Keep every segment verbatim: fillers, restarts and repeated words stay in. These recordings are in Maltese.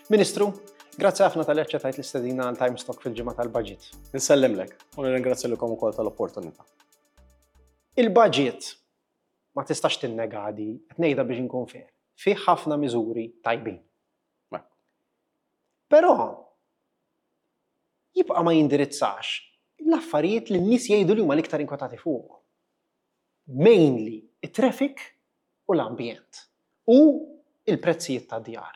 Ministru, grazzi ħafna talli aċċettajt l-istedina għal Times Talk fil-ġimgħa tal-budget. Insellimlek u nirringrazzja lilkom ukoll tal-opportunità. Il-budget ma tistax tinnega di, qed ngħidha biex inkun fair. Fih ħafna miżuri tajbin. Però jibqa' ma jindirizzax l-affarijiet li n-nies jgħidu li huma l-iktar inkwetati fuq. Mainly it-traffic u l-ambjent u il-prezzijiet ta' djar.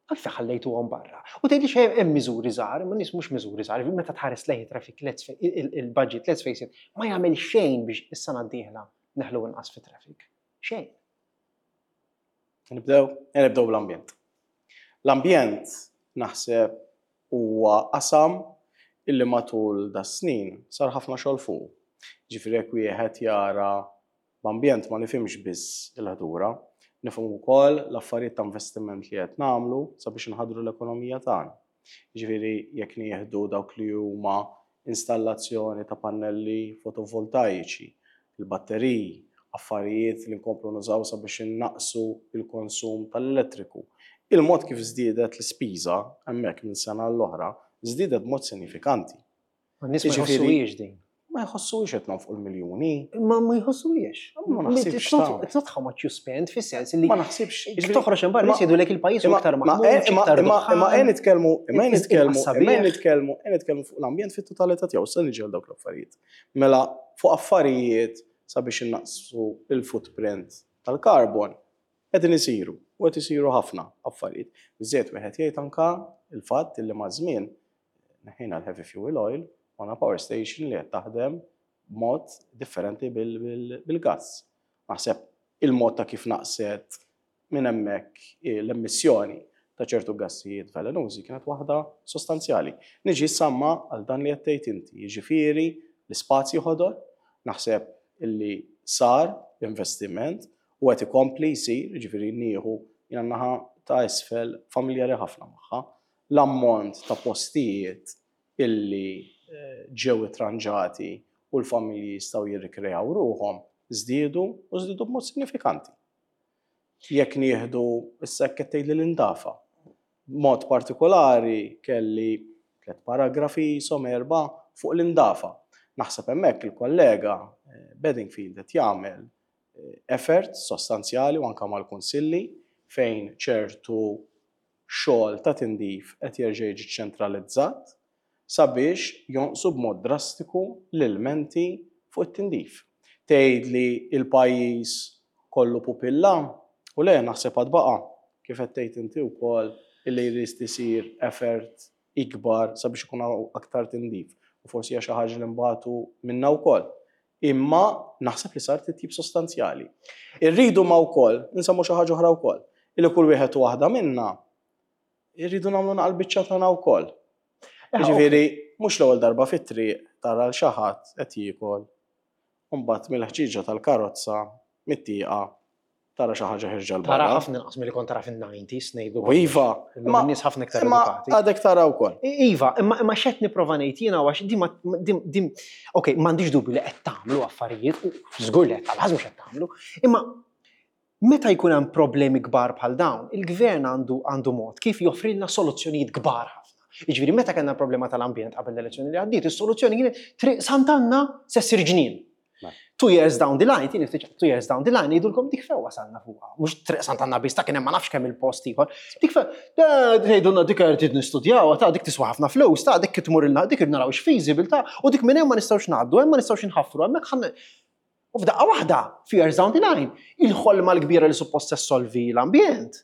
Għalfejn ħallejtuhom barra? U tgħidli xejn hemm miżuri żgħar, ma nies mhux miżuri żgħar, meta tħares lejn traffic, il-budget, let's face it, ma jagħmel xejn biex is-sena d-dieħla neħlu inqas fi traffic. Xejn. Nibdew, nibdew bl-ambjent. L-ambjent naħseb huwa qasam illi matul da snin sar ħafna xogħol fuq. Ġifieri jekk wieħed jara, b'ambjent ma nifhimx biss il-ħdura, nifhmu wkoll l-affarijiet ta' investiment li qed nagħmlu sabiex inħadru l-ekonomija tagħna. Ġifieri jekk nieħdu dawk li huma installazzjoni ta' pannelli fotovoltaiċi, il-batteriji, affarijiet li nkomplu nużaw sabiex innaqsu il-konsum tal-elettriku. Il-mod kif żdiedet l-ispiża hemmhekk minn sena l-oħra żdiedet b'mod sinifikanti. Ma nies ma jħossuhiex din. Ma jħossuhiex qed fuq il-miljuni. Ma ma jħossuhiex. Ma naħsibx. It's not how much you spend, fis-sens li Ma naħsibx. Toħroġ hemm barra jgħidulek il-pajjiż iktar maħmur. Imma qed nitkellmu, imma nitkellmu, imma nitkellmu, qed nitkellmu fuq l-ambjent fit-totalità tiegħu, se niġi dawk l-affarijiet. Mela fuq affarijiet sabiex innaqsu il-footprint tal-karbon qegħdin isiru u qed isiru ħafna affarijiet. Biżejjed wieħed jgħid anka il-fatt li maż-żmien neħħejna l-heavy fuel oil għandna power station li qed taħdem b'mod differenti bil-gas. Naħseb il-mod ta' kif naqset minn hemmhekk l-emissjoni ta' ċertu gassijiet velenużi kienet waħda sostanzjali. Niġi samma għal dan li qed tgħid inti, jiġifieri l-ispazji ħodor, naħseb illi sar investiment u qed ikompli jsir, jiġifieri nieħu jiena naħa ta' isfel familjari ħafna magħha, l-ammont ta' postijiet illi eh, ġew itranġati u l-familji jistgħu jirrikrejaw ruħhom żdiedu u żdiedu b'mod sinifikanti. Jekk nieħdu issa qed tgħidli l-indafa. Mod partikolari kelli tliet paragrafi som erba' fuq l-indafa. Naħseb hemmhekk il-kollega eh, Bedingfield qed jagħmel eh, effort sostanzjali u anke mal-kunsilli fejn ċertu xogħol ta' tindif qed jerġa' jiġi ċentralizzat sabiex jonqsu b'mod drastiku l-ilmenti fuq it-tindif. Tgħid li il-pajjiż kollu pupilla u le, naħseb għad baqa' kif qed tgħid inti wkoll illi jrid isir effort ikbar sabiex ikun aktar tindif. U forsi hija xi ħaġa li nbatu minna wkoll. Imma naħseb li sar titjib sostanzjali. Irridu ma wkoll, insemmu xi ħaġa oħra wkoll, illi kull wieħed u waħda minna irridu nagħmlu naqal biċċa tagħna wkoll. Eh, Ġifieri, mhux l-ewwel darba fit-triq tara l xi ħadd qed jiekol, u mbagħad mill-ħġieġa tal-karozza, mit-tieqa, tara xi ħaġa ħirġa 'l Tara barra. ħafna inqas milli kont tara fin-nineties, ngħidu. U iva, Imma n-nies ħafna iktar imma edukati. Għadek tara wkoll. Iva, imma imma x'qed nipprova ngħid jiena għax di ma dim dim okej, m'għandix dubju li qed tagħmlu affarijiet u żgur li qed tagħmlu, mhux qed tagħmlu, imma meta jkun hemm problemi kbar bħal dawn, il-gvern għandu għandu mod kif joffrilna soluzzjonijiet kbar ħafna. Jiġifieri meta kellna problema tal-ambjent qabel l-elezzjoni li għaddiet, is-soluzzjoni kienet Triq Sant'Anna se ssir ġnien. Mela. Two years down the line, tieni ftit two years down the line, jgħidulkom dik fejn wasalna fuqha. Mhux Triq Sant'Anna biss, ta' kien hemm ma nafx kemm il-post ieħor. Dik fejn, tgħidulna dik qed nistudjaw, ta' dik tiswa ħafna flus, ta' dik tmur ilna, dik naraw feasible, ta' u dik minn hemm ma nistgħux ngħaddu, hemm ma nistgħux inħaffru, hemmhekk ħan. U f'daqqa waħda, few years down the line, il-ħolma l-kbira li suppost ssolvi l-ambjent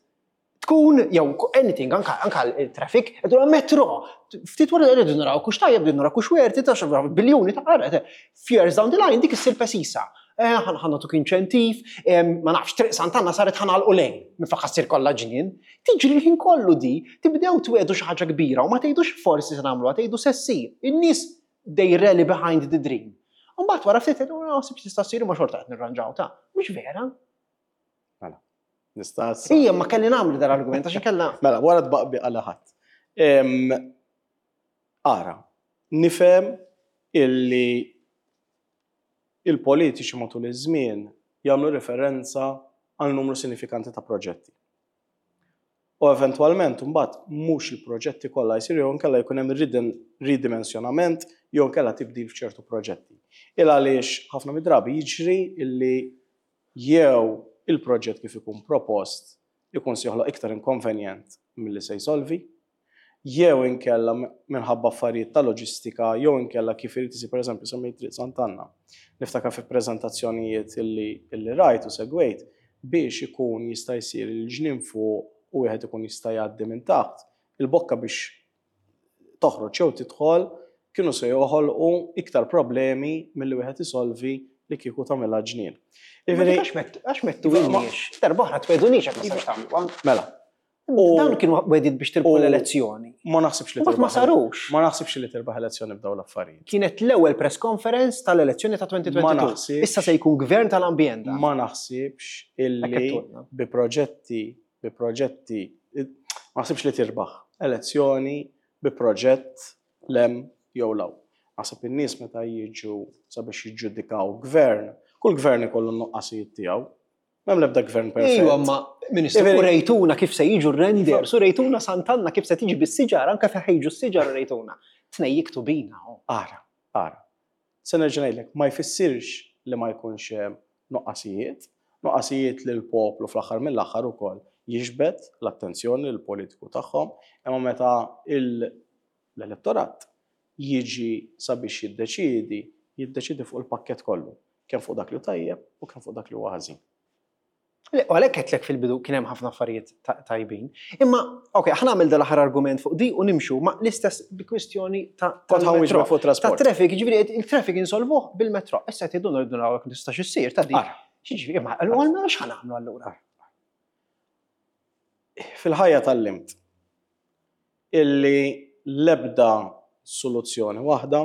tkun, jew anything, anka, anka il-traffic, għedu metro, ftit wara rridu naraw kux tajjeb, rridu naraw kux werti, ta' xi biljuni ta' għara, few years down the line, dik issir pesisa. Eh, ħa nagħtuk inċentiv, ma nafx, Triq Sant'Anna saret ħa nagħlqu lejn, minn ssir kollha ġnien. Tiġri l-ħin kollu di, tibdew twedu xi ħaġa kbira u ma tgħidux forsi se nagħmluha, tgħidu se ssir. In-nies, they rally behind the dream. U mbagħad wara ftit tgħidu, naħseb tista' ssir, ma xorta qed nirranġaw ta' mhux vera. Mela, nista' Ija, ma kelli nagħmlu dal-argument għax inkella. Mela, wara tbaqbi għal ħadd. Em, Ara, nifhem illi il-politiċi matul iż-żmien jagħmlu referenza għal numru sinifikanti ta' proġetti. U eventwalment mbagħad mhux il-proġetti kollha jsiru jew inkella jkun hemm ridimensjonament jew inkella tibdil f'ċertu proġetti. Il għaliex ħafna mid-drabi jiġri illi jew il-proġett kif ikun propost ikun se joħloq iktar inkonvenjent milli se jsolvi, jew inkella minħabba affarijiet ta' loġistika, jew inkella kif irid isir, pereżempju semmejt Triq Sant'Anna. Niftakar fi preżentazzjonijiet illi, illi rajt u segwejt biex ikun jista' jsir il-ġnien fuq u wieħed ikun jista' jgħaddi minn taħt, il-bokka biex toħroġ jew tidħol kienu se joħolqu iktar problemi milli wieħed isolvi li kieku tagħmilha ġnien. Għax mettu ilniex, darba oħra twegħdunix hekk ma sarx tagħmlu. Mela. Dawn kienu wegħdiet biex tirbħu l-elezzjoni. Ma naħsibx li ma sarux. Ma naħsibx li tirbaħ elezzjoni b'dawn l-affarijiet. Kienet l-ewwel press conference tal-elezzjoni ta' elfejn u tnejn u għoxrin. Issa se jkun gvern tal-ambjent. Ma naħsibx illi bi proġetti bi proġetti ma naħsibx li tirbaħ elezzjoni bi proġett 'l hemm jew 'l hawn. Naħseb in-nies meta jiġu sabiex jiġġudikaw gvern, kull gvern ikollu n-nuqqasijiet tiegħu. M'hemm l-ebda gvern perfett. Ejwa, ma Ministru, u rejtuna kif se jiġu r-renders, u rejtuna Sant'Anna kif se tiġi bis-siġar, anke fejn jiġu s-siġar rejtuna. Tnejjiktu bina. Ara, ara. Se nerġa' ngħidlek, ma jfissirx li ma jkunx hemm nuqqasijiet, nuqqasijiet li l-poplu fl-aħħar mill-aħħar ukoll jiġbed l-attenzjoni l-politiku tagħhom, imma meta l-elettorat jiġi sabiex jiddeċidi, jiddeċidi fuq il-pakket kollu, kemm fuq dak li tajjeb u kemm fuq dak li huwa ħażin. U għalhekk għedtlek fil-bidu kien hemm ħafna affarijiet tajbin. Imma, ok, ħa nagħmel dal-aħħar argument fuq di u nimxu ma l-istess bi kwistjoni ta' fuq trasport. Ta' traffic, ġifieri il-traffic insolvuh bil-metro. Issa qed rridu naraw jekk tistax issir ta' di. Xiġifieri, ma allura x'ħa nagħmlu allura? Fil-ħajja tgħallimt illi l-ebda soluzzjoni waħda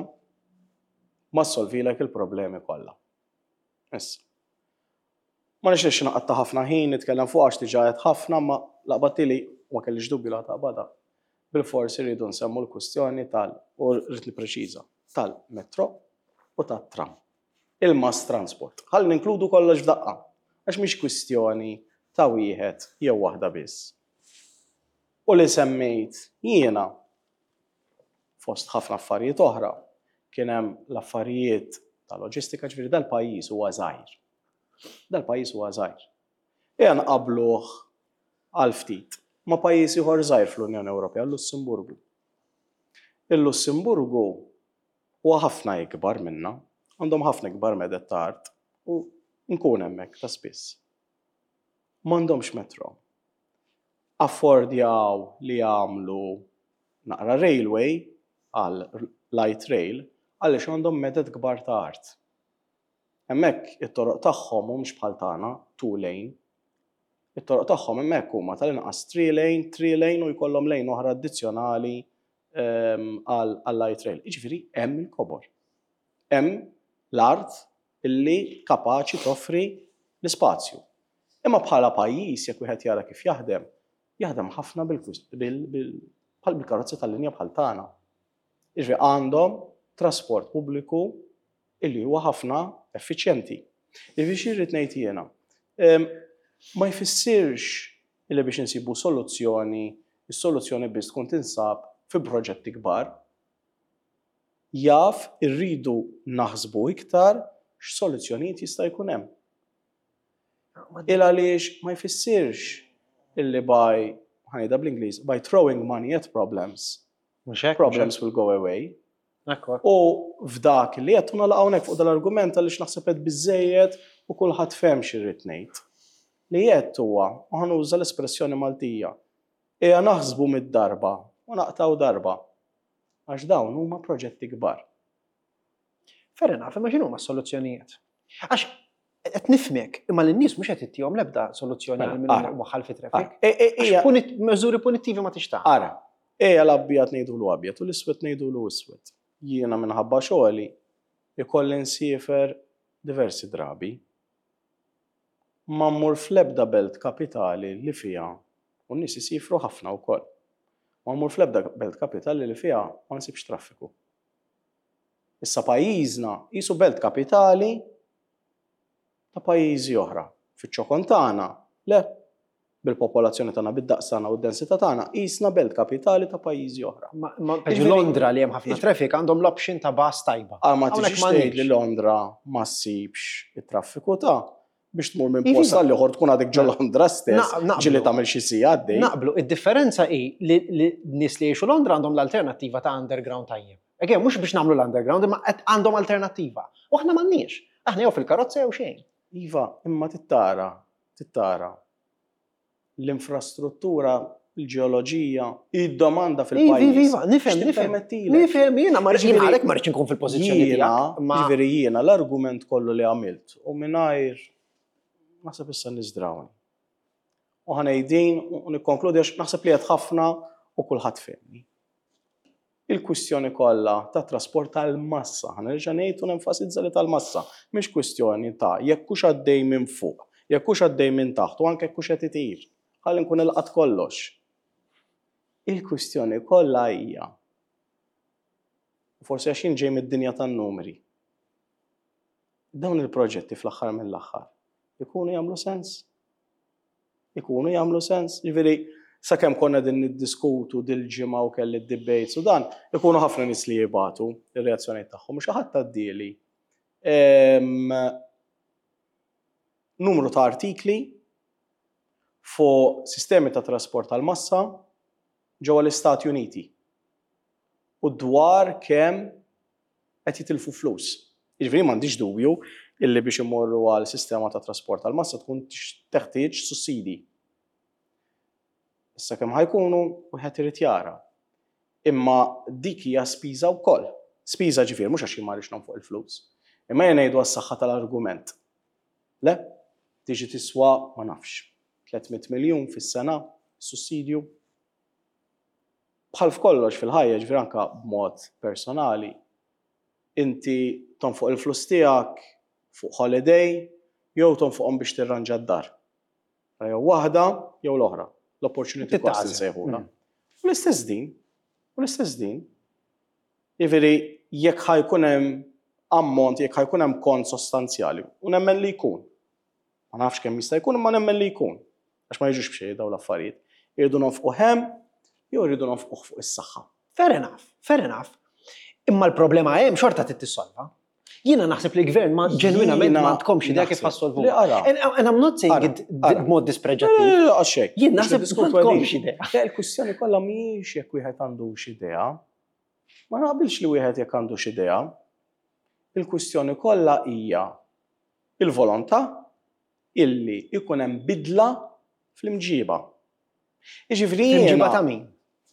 ma ssolvilek il-problemi kollha. Issa. Ma nixtieqx naqatta' ħafna ħin nitkellem fuq għax diġà qed ħafna, ma laqbattili ma kellix dubju la taqbada. Bil-forsi rridu nsemmu l-kwistjoni tal u rrid nippreċiża tal-metro u tat-tram. Il-mass transport. Ħalli ninkludu kollox f'daqqa. Għax mhix kwistjoni ta' wieħed jew waħda biss. U li semmejt jiena fost ħafna affarijiet oħra kien hemm l-affarijiet ta' loġistika, ġifieri dal-pajjiż huwa żgħir. Dal-pajjiż huwa żgħir. Ejja nqabluh għal ftit ma' pajjiż ieħor żgħir fl-Unjoni Ewropea, l-Lussemburgu. Il-Lussemburgu huwa ħafna ikbar minna, għandhom ħafna ikbar meded ta' art u nkun hemmhekk ta' spiss. M'għandhomx metro. Affordjaw li jagħmlu naqra railway għal light rail għaliex għandhom meded kbar ta' art. Hemmhekk it-toroq tagħhom mhumiex bħal tagħna two lane. It-toroq tagħhom hemmhekk huma tal-inqas three lane, three lane u jkollhom lane oħra addizzjonali ehm, għal light rail. Jiġifieri hemm il-kobor. Hemm l-art illi kapaċi toffri l-ispazju. Imma bħala pajjiż, jekk wieħed jara kif jaħdem, jaħdem ħafna bħal bil-karozzi tal-linja bħal tagħna. Jiġifieri għandhom trasport pubbliku illi huwa ħafna effiċjenti. Jiġifieri xi rrid ngħid jiena? Ma jfissirx illi biex insibu soluzzjoni, is-soluzzjoni biss tkun tinsab fi proġetti kbar. Jaf irridu naħsbu iktar x'soluzzjonijiet jista' jkun hemm. Il għaliex ma jfissirx illi by, ħa ngħidha bl-Ingliż, by throwing money at problems, problems will go away. U f'dak li qed nagħlaq hawnhekk fuq dal-argument għaliex naħseb qed biżejjed u kulħadd fehem x'irrid ngħid. Li qed huwa, u ħa nuża l-espressjoni Maltija, ejja naħsbu mitt darba u naqtgħu darba. Għax dawn huma proġetti kbar. Fair enough, imma x'inhuma s-soluzzjonijiet? Għax qed nifhmek, imma lin-nies mhux qed ittihom l-ebda soluzzjoni Mela, għal min ara. waħal fi traffic. E- e- Għax ija- punit- Miżuri punittivi ma tixtaq. Ara, ejja l-abjad ngħidulu abjad u l-iswed ngħidulu iswed. Jiena minħabba xogħli ikolli nsiefer diversi drabi. Ma mmur fl-ebda belt kapitali li fiha u n-nies isifru ħafna wkoll. Ma mmur fl-ebda belt kapitali li fiha ma nsibx traffiku. Issa pajjiżna qisu belt kapitali ta' pajjiżi oħra. Fiċ-ċokon tagħna, le, Bil-popolazzjoni tagħna, bid-daqs tagħna u d-densità tagħna, qisna belt kapitali ta' pajjiżi oħra. Ma Londra li hemm ħafna traffic għandhom l-option ta' bus tajba. Għal ma tiġix tgħid li Londra ma ssibx it-traffiku ta' biex tmur minn post għal ieħor tkun għadek ġo Londra stess, ġieli tagħmel xi siegħa għaddej. Naqblu, id-differenza hi li nies li jgħixu Londra għandhom l-alternattiva ta' underground tajjeb. Again, mhux biex nagħmlu l-underground, imma għandhom alternattiva. U aħna m'għandniex. Aħna jew fil-karozza jew xejn. Iva, imma tittara, tittara l-infrastruttura, il-ġeoloġija, id-domanda fil-pajjiż. Iva, iva, nifhem, nifhem. Nifhem, jiena ma rridx għalhekk ma rridx inkun fil-pożizzjoni tiegħek. Ġifieri jiena l-argument kollu li għamilt u mingħajr naħseb issa niżdrawni. U ħa ngħid u nikkonkludi għax naħseb li qed ħafna u kulħadd fehmni. Il-kwistjoni kollha ta' trasport tal-massa, ħa nerġa' ngħid u nenfasizza li tal-massa, mhix kwistjoni ta' jekk hux għaddej minn fuq, jekk hux għaddej minn taħt u anke jekk hux qed itir. Ħalli nkun ilqat kollox. Il-kwistjoni kollha hija, forsi għax jien ġej mid-dinja tan-numri, dawn il-proġetti fl-aħħar mill-aħħar ikunu jagħmlu sens. Ikunu jagħmlu sens. Ġifieri, sakemm konna din niddiskutu dil-ġimgħa u kelli d-debates u dan, ikunu ħafna nies li jibatu ir-reazzjonijiet tagħhom, xi ħadd għaddieli numru ta' artikli fuq sistemi ta' trasport tal-massa ġewwa l-Istati Uniti u dwar kemm qed jitilfu flus. Jiġifieri m'għandix dubju illi biex imorru għal sistema ta' trasport tal-massa tkun teħtieġ sussidi. Issa kemm ħa jkunu wieħed irid jara. Imma dik hija spiża wkoll. Spiża ġifier mhux għax jien ma rridx nonfoq il-flus. Imma jien ngħidu għas-saħħa tal-argument. Le, tiġi tiswa ma nafx. tliet mitt miljun fis-sena sussidju. Bħal f'kollox fil-ħajja, ġifier anke b'mod personali, inti tonfoq il-flus tiegħek fuq holiday jew tonfoqhom biex tirranġa d-dar. Jew waħda jew l-oħra. L-opportunity cost insejħulha. U l-istess din, u l-istess din. Jiġifieri jekk ħa jkun hemm ammont, jekk ħa jkun hemm kont sostanzjali, u nemmen li jkun. Ma nafx kemm jista' jkun, imma nemmen li jkun. Għax ma jiġux b'xejn dawn l-affarijiet. Irridu nonfqu hemm jew irridu nonfquh fuq is-saħħa. Fair enough, fair enough. Imma l-problema hemm xorta trid tissolva. Jiena naħseb li l-gvern ma ġenwinament ma għandkomx idea kif ħa ssolvu. And, and I'm not saying it b'mod dispreġattiv. Għaxek. Jien naħseb m'għandkomx idea. Le, il-kwistjoni kollha mhijiex jekk wieħed għandux idea. Ma naqbilx li wieħed jekk għandux idea. Il-kwistjoni kollha hija il-volontà illi ikun hemm bidla fl-imġiba. Jiġifieri Fl-imġiba ta' min?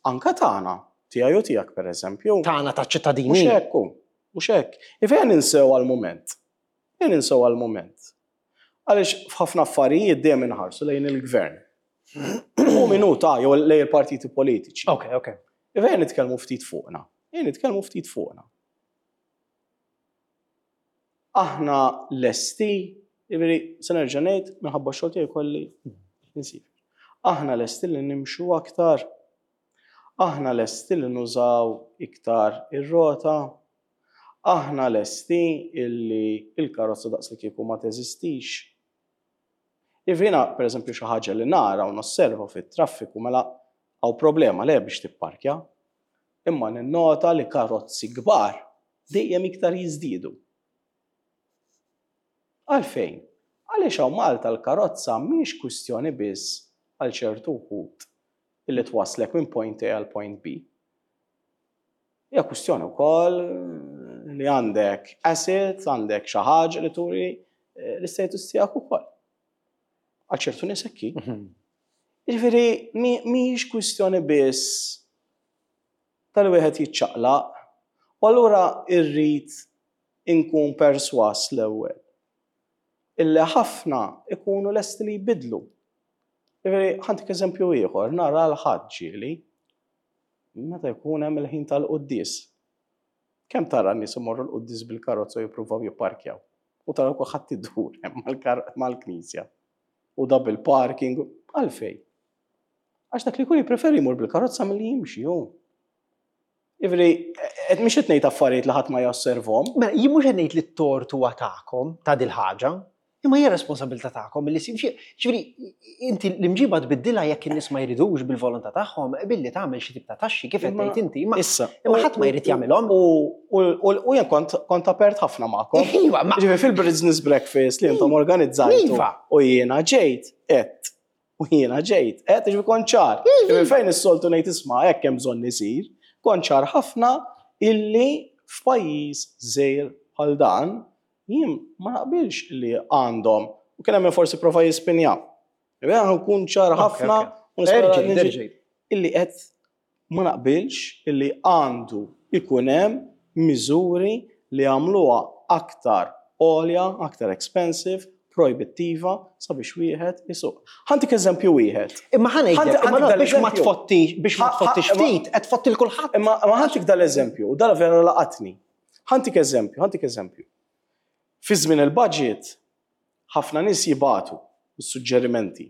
Anka tagħna, tiegħi u tiegħek pereżempju. Tagħna ta' ċittadini. Mhux hekk hu, mhux hekk. Jiġifieri ninsew għal-mument. Ninsew għal-mument. Għaliex f'ħafna affarijiet dejjem inħarsu lejn il-gvern. U minuta jew lejn il-partiti politiċi. Ok, ok. Jiġifieri nitkellmu ftit fuqna. Jiġifieri nitkellmu ftit fuqna. Aħna lesti, jiġifieri se nerġa' ngħid minħabba x-xogħol tiegħi kolli insib. Aħna lesti li nimxu aktar. Aħna lesti li nużaw iktar ir-rota. Aħna lesti illi il-karozza daqs li kieku ma teżistix. Jiġifieri, per eżempju, xi ħaġa li nara u nosserva fit-traffiku mela hawn problema le biex tipparkja, imma ninnota li karozzi kbar dejjem iktar jiżdiedu. Għalfejn? Għaliex hawn Malta l-karozza mhix kwistjoni biss għal ċertu wħud illi twaslek minn point A għal point B. Hija kwistjoni wkoll li għandek asset, għandek xi ħaġa li turi l-istatus tiegħek ukoll. Għal ċertu nies hekk hi. Jiġifieri mhijiex kwistjoni biss tal-wieħed jiċċaqlaq, u allura irrid inkun perswas l-ewwel illi ħafna ikunu lesti li jbidlu. Jiġifieri ħa ntik eżempju ieħor, nara l-ħadd ġieli meta jkun hemm il-ħin tal-quddies. Kemm tara n-nies imorru l-quddies bil-karozza u jippruvaw jipparkjaw? U tara kulħadd idur hemm mal-knisja. U double parking, għalfejn. Għax dak li jkun jippreferi jmur bil-karozza milli jimxi hu. Jiġifieri, qed mhix qed ngħid affarijiet li ħadd ma josservhom. Mela, jien mhux qed ngħid li t-tort huwa tagħkom ta' dil-ħaġa, Imma hija responsabilità tagħkom li ġifieri inti l-imġiba tbiddilha jekk in-nies ma jridux bil-volontà tagħhom billi tagħmel xi tip ta' taxxi kif qed tgħid inti. Issa, imma ħadd ma jrid jagħmilhom. U jien kont kont apert ħafna magħkom. Iva, ma Ġifieri fil-business breakfast li intom organizzajtu. Iva. U jiena ġejt qed. U jiena ġejt qed ġifieri kont ċar. Ġifieri fejn is-soltu ngħid isma' hekk hemm bżonn isir, kont ċar ħafna illi f'pajjiż żgħir bħal dan jien ma naqbilx li għandhom u kien hemm forsi prova jispinja. Jien nkun ċar ħafna u nispera illi qed ma naqbilx illi għandu ikun hemm miżuri li għamluha aktar għolja, aktar expensive, proibittiva sabiex wieħed isuq. Ħantik eżempju wieħed. Imma ħa ngħidlek, imma biex ma tfottix, biex ma tfottix ftit, qed tfotti l kulħadd. Imma ħantik dal-eżempju, u dal vera laqatni. Ħantik eżempju, ħantik eżempju. Fi żmien il-budget, ħafna nies jibatu s-suġġerimenti.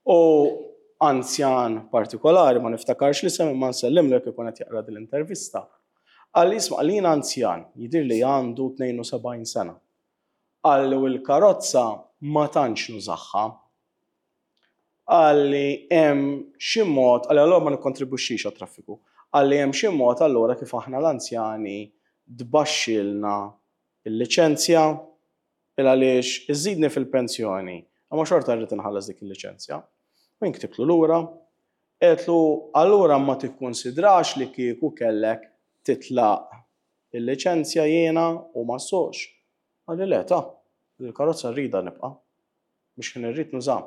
U anzjan partikolari, ma niftakarx li semmi ma nsellimlu jekk ikun qed jaqra din l-intervista. Qalli isma' li jien anzjan, jidhir li għandu tnejn u sebgħin sena. Qalli u l-karozza ma tantx nużaħħa. Qalli hemm xi mod, qalli allura ma nikkontribwixxix għat-traffiku. Qalli hemm xi mod allura kif aħna l-anzjani tbaxxilna il-liċenzja il għaliex iżidni fil-pensjoni, imma xorta rrid inħallas dik il-liċenzja. U jien ktibtlu lura, għedtlu allura ma tikkonsidrax li kieku kellek titlaq il-liċenzja jiena u ma ssoqx. Qalli le ta, il-karozza rridha nibqa' biex kien irrid nuża.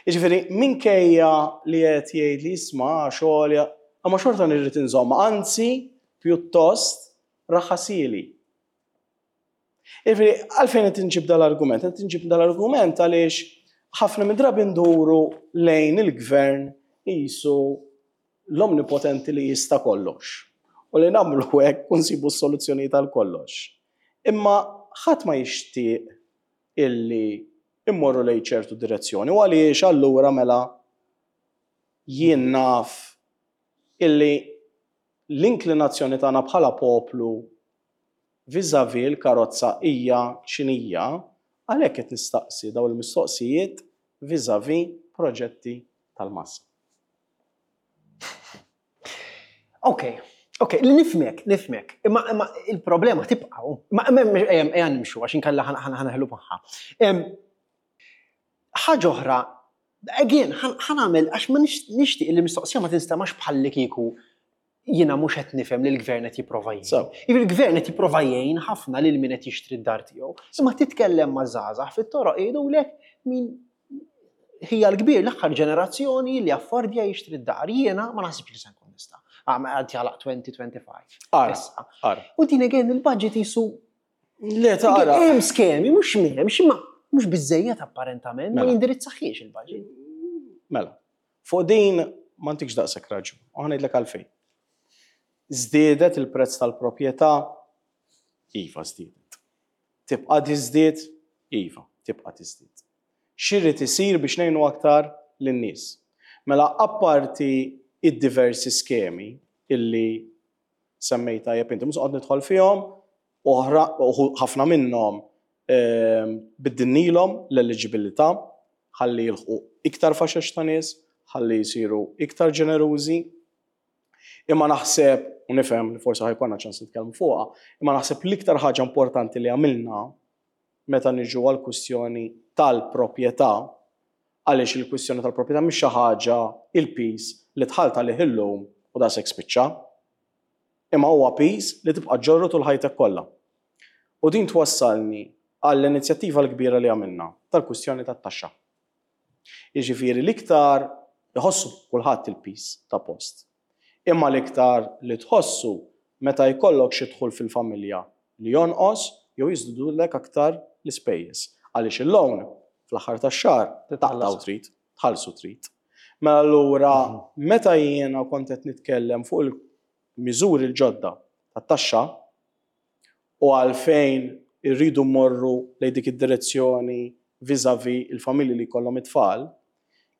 Jiġifieri minkejja li qed jgħid li isma' xogħol, imma xorta nirrid inżomm, anzi pjuttost raħasili. Jiġifieri għalfejn qed inġib dal-argument? Qed inġib dal-argument għaliex ħafna minn drabi nduru lejn il-gvern qisu l-omnipotenti li jista' kollox. U li nagħmlu hekk u nsibu s-soluzzjonijiet għal kollox. Imma ħadd ma jixtieq illi immorru lejn ċertu direzzjoni u għaliex allura mela jien naf illi l-inklinazzjoni tagħna bħala poplu vis-à-vis l-karozza hija x'inhija, għalhekk qed nistaqsi dawn il-mistoqsijiet vis-à-vis proġetti tal-massa. Ok, ok, li nifmek, nifmek. Imma, imma il-problema tibqa'. Ma ejja, ejja nimxu għax inkella ħanaħlu magħha. Ħaġa oħra, again, ħanagħmel għax ma nixtieq li l-mistoqsija ma tinstemax bħalli kieku jiena mhux qed nifhem li l-gvern qed jipprova jgħin. Jiġifieri l-gvern qed jipprova jgħin ħafna lil min qed jixtri d-dar tiegħu. Imma titkellem ma' żgħażagħ fit-toroq jgħidulek min hija l-kbir l-aħħar ġenerazzjoni li affordja jixtri d-dar. Jiena ma naħsibx li se nkun nista'. Għad jalaq twenty twenty-five. Ara, Issa. ara. U din again il-budget jisu Le, tara. Hemm skemi, mhux m'hemmx, imma mhux biżejjed apparentament, ma Mela. jindirizzaħiex il-budget. Mela, fuq din ma ntikx daqshekk raġun, u ħa ngħidlek għalfejn. Żdiedet il-prezz tal-proprjetà? Iva, żdiedet. Tibqa' tiżdied? Iva, tibqa' tiżdied. X'irid isir biex ngħinu aktar lin-nies? Mela, apparti id-diversi skemi illi semmejta tajjeb inti, mhux qed nidħol fihom, oħra, ħafna minnhom, ehm, biddilnilhom l-eliġibilità, ħalli jilħqu iktar faxex ta' nies, ħalli jsiru iktar ġenerużi. Imma naħseb, u nifhem li forsi ħajkonna ċans nitkellmu fuqha, imma naħseb l-iktar ħaġa importanti li għamilna meta niġu għall-kwistjoni tal-proprjetà, għaliex il-kwistjoni tal-proprjetà mhix xi ħaġa il-piż li dħalt għalih illum u daqshekk spiċċa, imma huwa piż li tibqa' ġorru tul ħajtek kollha. U din twassalni għall-inizjattiva l-kbira li għamilna tal-kwistjoni tat-taxxa. Jiġifieri l-iktar iħossu kulħadd il-piż ta' post. Imma l-iktar li tħossu meta jkollok xi dħul fil-familja li jonqos jew jiżdidulek aktar l-ispejjeż. Għaliex il-loan fl-aħħar tax-xahar taqtaw trid, tħallsu trid. Mela allura meta jiena kont qed nitkellem fuq il-miżuri l-ġodda tat-taxxa u għalfejn irridu mmorru lejn dik id-direzzjoni vis-à-vis il-familji li jkollhom it-tfal,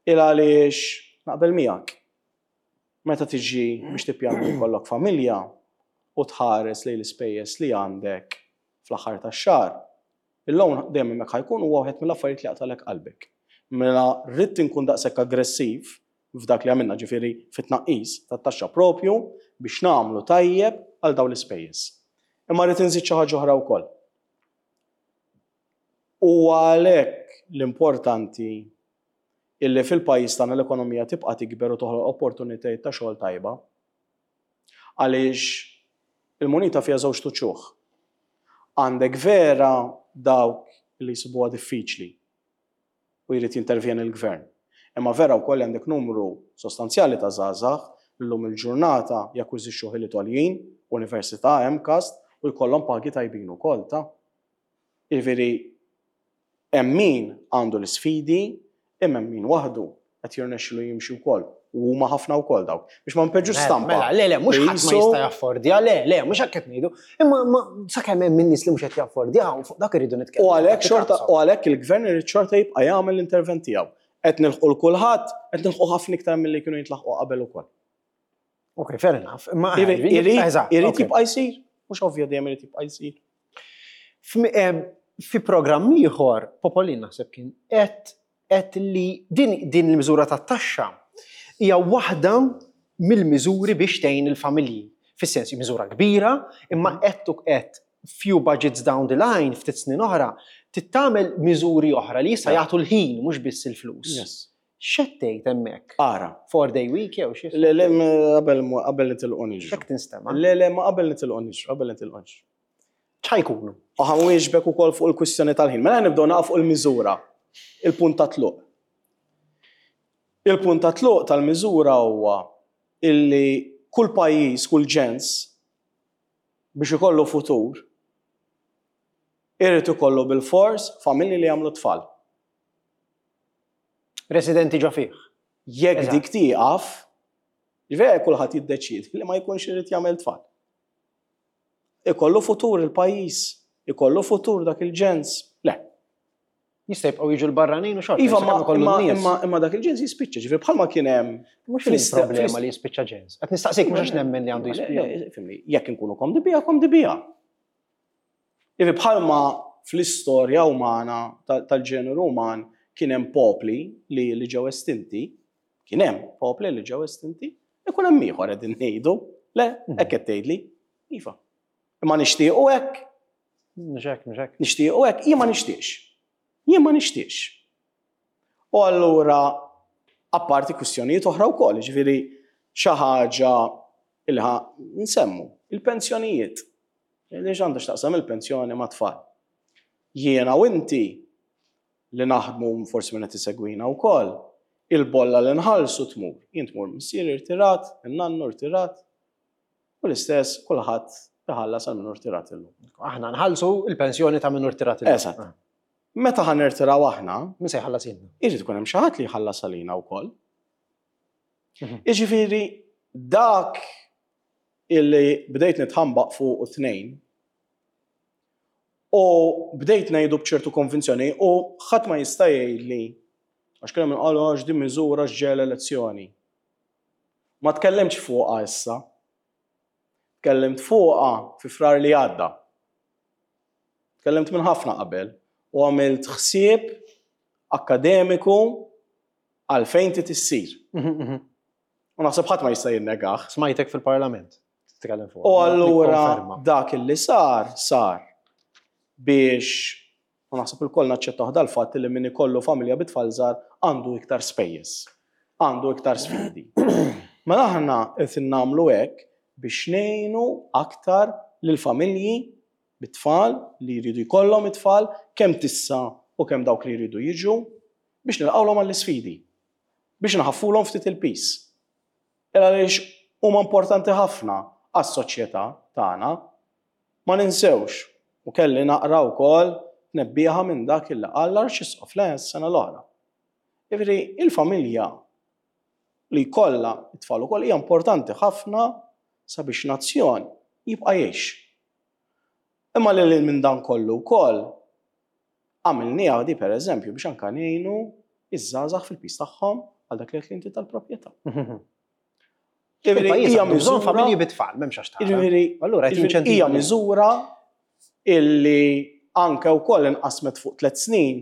il għaliex naqbel miegħek. Meta tiġi biex tippjana li jkollok familja u tħares lejn l-ispejjeż li għandek fl-aħħar tax-xahar, Il-loan dejjem hemmhekk ħa jkun huwa wieħed mill-affarijiet li jaqtalek qalbek. Mela rrid inkun daqshekk aggressiv f'dak li għamilna, ġifieri fit-tnaqqis tat-taxxa propju biex nagħmlu tajjeb għal dawn l-ispejjeż. Imma rrid inżid xi ħaġa oħra wkoll. U għalhekk l-importanti illi fil-pajjiż tagħna l-ekonomija tibqa' tikber u toħloq opportunitajiet ta' xogħol tajba. Għaliex il-munita fiha żewġ uċuħ. Għandek vera dawk li jsibuha diffiċli u jrid jintervjeni l-gvern. Imma vera wkoll għandek numru sostanzjali ta' żgħażagħ llum il-ġurnata jakkwizixxu ħiliet għoljin, università, M CAST, u jkollhom pagi tajbin ukoll ta'. Jiġifieri hemm min għandu l-isfidi, imma hemm min waħdu qed jirnexxilu jimxi wkoll. U huma ħafna wkoll dawk. Biex ma npinġux stampa. Mela, le, le, mhux ħadd ma Jisu- jista' jaffordja, le, le, mhux hekk qed ngħidu. Imma ma sakemm hemm min nies li mhux qed jaffordja, u fuq dak irridu nitkellmu. U għalhekk xorta u għalhekk il-gvern irid xorta jibqa' jagħmel l-intervent tiegħu. Qed nilħqu 'l kulħadd, qed nilħqu ħafna iktar milli kienu jintlaħqu qabel ukoll. Ok, fair enough. Imma Irid eżatt, irid ok. jibqa' jsir, mhux ovvja dejjem irid jibqa' jsir. F'mi- em, Fi programm ieħor, Popolin naħseb kien qed qed li din din il-miżura tat-taxxa hija waħda mill-miżuri biex tgħin il-familji. Fis-sens miżura kbira, imma qed u qed few budgets down the line ftit snin oħra, tittamel miżuri oħra li jista' jagħtu l-ħin mhux biss il-flus. Yes. X'qed tgħid hemmhekk? Ara. Four day week jew xi? Le, le, ma qabel ma- qabel nitilqu niġru. X'hekk tinstema'? Le, le, ma qabel nitilqu niġru, qabel nitilqu niġru. X'ħa jkunu? U ħa nwieġbek ukoll fuq il-kwistjoni tal-ħin. Mela nibdew naqaf fuq il-miżura. Il-punt ta' tluq. Il-punt ta' tluq tal-miżura huwa illi kull pajjiż, kull ġens biex ikollu futur, irid ikollu bil-fors familji li jagħmlu tfal. Residenti ġo fih. Jekk Eżatt. dik tieqaf, ġifieri kulħadd jiddeċiedi li ma jkunx irid jagħmel tfal. Ikollu futur il-pajjiż, ikollu futur dak il-ġens. Le. Jista' jibqgħu jiġu l-barranin u xorta. Iva, sakemm ma, ikollu imma, n-nies. imma, imma dak il-ġens jispiċċa, ġifieri bħalma kien hemm Mhux fl-ist- il-problema fl-ist- li jispiċċa ġens. Qed nistaqsik mhux għax nemmen li għandu Le, jispiċċa. le, Fimni, jekk inkunu komdi biha, komdi biha. Jiġifieri bħalma fl-istorja umana tal- tal-ġeneru uman kien hemm popli li li ġew estinti, kien hemm popli li ġew estinti, ikun hemm ieħor qegħdin ngħidu, le, Mhm. hekk qed tgħidli, iva. Imma nixtiequ hekk, Mhux hekk, mhux hekk. nixtiequ hekk, jien ma nixtieqx. Jien ma nixtieqx. U allura, apparti kwistjonijiet oħra wkoll, ġifieri xi ħaġa li ħa nsemmu, il-pensjonijiet. Li għandha x'taqsam il-pensjoni ma' tfal. Jiena u inti li naħdmu forsi minn qed isegwina wkoll, il-bolla li nħallsu tmur. Jien tmur missieri irtirat, in-nannu irtirat, u l-istess kulħadd iħallas għal min irtirat illum. Aħna nħallsu il-pensjoni ta' min irtirat illum. Eżatt. Meta ħa nirtiraw aħna, Min se jħallas ilna? irid ikun hemm xi ħadd li jħallas għalina wkoll. Mhm. Jiġifieri dak illi bdejt nitħambaq fuq u tnejn u bdejt ngħidu b'ċertu konvinzjoni u ħadd ma jista' jgħidli għax kien hemm qalu għax din miżura ġej l-elezzjoni. Ma tkellimtx fuqha issa. Tkellimt fuqha fi Frar li għadda. Tkellimt minn ħafna qabel u għamilt ħsieb akademiku għalfejn trid issir. U naħseb ħadd ma jista' jinnegah. Smajtek fil-parlament. Titkellem fuq. U allura Nikkonferma. dak illi sar, sar biex u naħseb ilkoll naċċettaw dal-fatt li min ikollu familja bit-tfal żgħar għandu iktar spejjeż, għandu iktar sfidi. Mela aħna qed nagħmlu hekk biex ngħinu aktar lil familji bit-tfal li jridu jkollhom it-tfal kemm tissa u kemm dawk li jridu jiġu biex nilqawlhom għall-isfidi, biex nħaffulhom ftit il-piż. Illa għaliex huma importanti ħafna għas-soċjetà tagħna. Ma ninsewx u kelli naqra wkoll tnebbiħa minn dak il qal l-Arċisqof le s-sena l-oħra. Jiġifieri il-familja li jkollha it-tfal ukoll hija importanti ħafna sabiex nazzjon jibqa' jgħix. Imma li minn dan kollu wkoll għamilniha di pereżempju biex anka ngħinu iż-żgħażagħ fil-piż tagħhom għal dak li qed inti tal-proprjetà. Jiġifieri Il-pajjiż hija għandu bżonn miżura- familji bit-tfal, m'hemmx għax tara. Jiġifieri Allura qed jiġifieri jinċentiva. hija miżura illi Anke wkoll inqasmet fuq tliet snin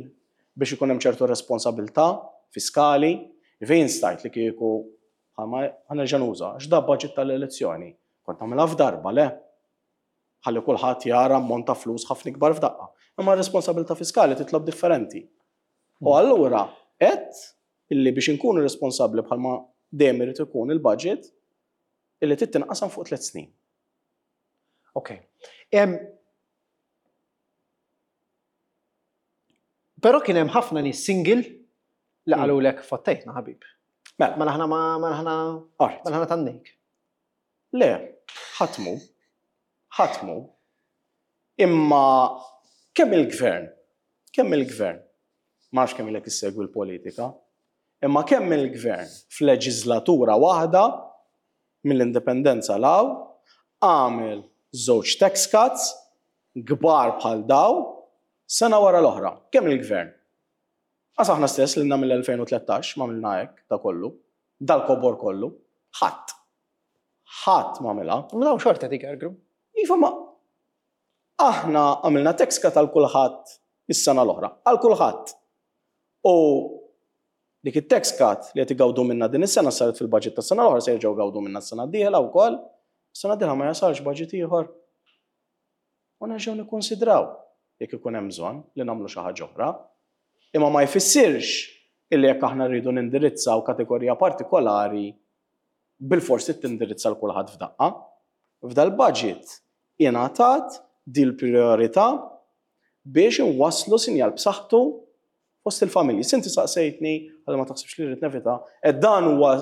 biex ikun hemm ċertu responsabilità fiskali. Fejn stajt li kieku ħa nerġa' nuża, għax da budget tal-elezzjoni. Kont nagħmilha f'darba, le? Ħalli kulħadd jara ammont ta' flus ħafna ikbar f'daqqa. Imma r-responsabilità fiskali titlob differenti. U allura qed illi biex inkunu responsabbli bħalma dejjem irid ikun il-budget illi trid tinqasam fuq tliet snin. Ok. Em, Però kien hemm ħafna nies single li qalulek fottejtna ħabib. Mela. Mela aħna ma mela aħna Alright. mela aħna tannejk. Le, ħatmu. Ħatmu. Imma kemm il-gvern, kemm il-gvern, ma nafx kemm ilek issegwi l-politika, imma kemm il-gvern f'leġislatura waħda mill-indipendenza law għamel żewġ tax cuts kbar bħal daw sena wara l-oħra. Kemm il-gvern? Għas aħna stess li mill-elfejn u tlettax ma għamilna hekk da kollu, dal-kobor kollu, ħadd. Ħadd ma għamilha. Ma dawn xorta dik ergru. Iva ma aħna għamilna tax cut għal kulħadd is-sena l-oħra, għal kulħadd. U dik it-tax cut li qed igawdu minna din is-sena saret fil-budget tas-sena l-oħra se jerġgħu gawdu minna s-sena d-dieħla wkoll. Is-sena d-dieħla ma jasalx budget ieħor. U nerġgħu nikkonsidraw jekk ikun hemm bżonn li nagħmlu xi ħaġa oħra. Imma ma jfissirx illi jekk aħna rridu nindirizzaw kategorija partikolari bil-forsi tindirizza l kulħadd f'daqqa. F'dal-budget ingħatat dil-priorità biex inwasslu sinjal b'saħħtu fost il-familji. Sinti saqsejtni, għal ma taħsibx li rrid nevita, e dan huwa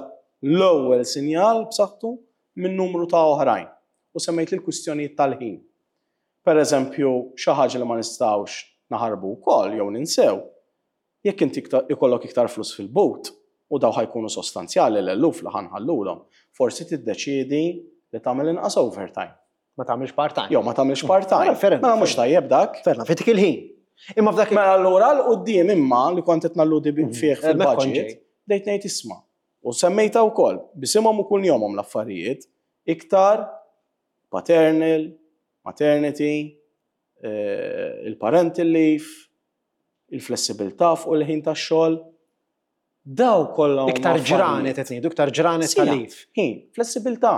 l-ewwel sinjal b'saħħtu minn numru ta' oħrajn. U semmejt l-kwistjonijiet tal-ħin. Per eżempju, xi ħaġa li ma nistgħux naħarbu wkoll jew ninsew, jekk inti iktar, ikollok iktar flus fil-but u daw ħajkunu sostanzjali l-eluf li ħanħallulhom, forsi tiddeċiedi li tagħmel inqas overtime. Ma tagħmilx part-time. Jew ma tagħmilx part-time. Mela, fair enough, Mela mhux tajjeb dak. Fair enough, fitik il-ħin. Imma f'dak il- Mela allura l quddiem imma li kont qed nalludi bi- fih Eh, mela fil-budget, kont ġej. bdejt ngħid isma'. U semmejta wkoll bisimhom u kuljomhom l-affarijiet iktar paternal, maternity, eh, il-parental leave, il-flessibilità fuq il-ħin tax-xogħol. Daw kollha huma Iktar affarijiet. ġranet qed ngħidu, iktar ġranet Sija, tal-leave. Ħin, flessibilità.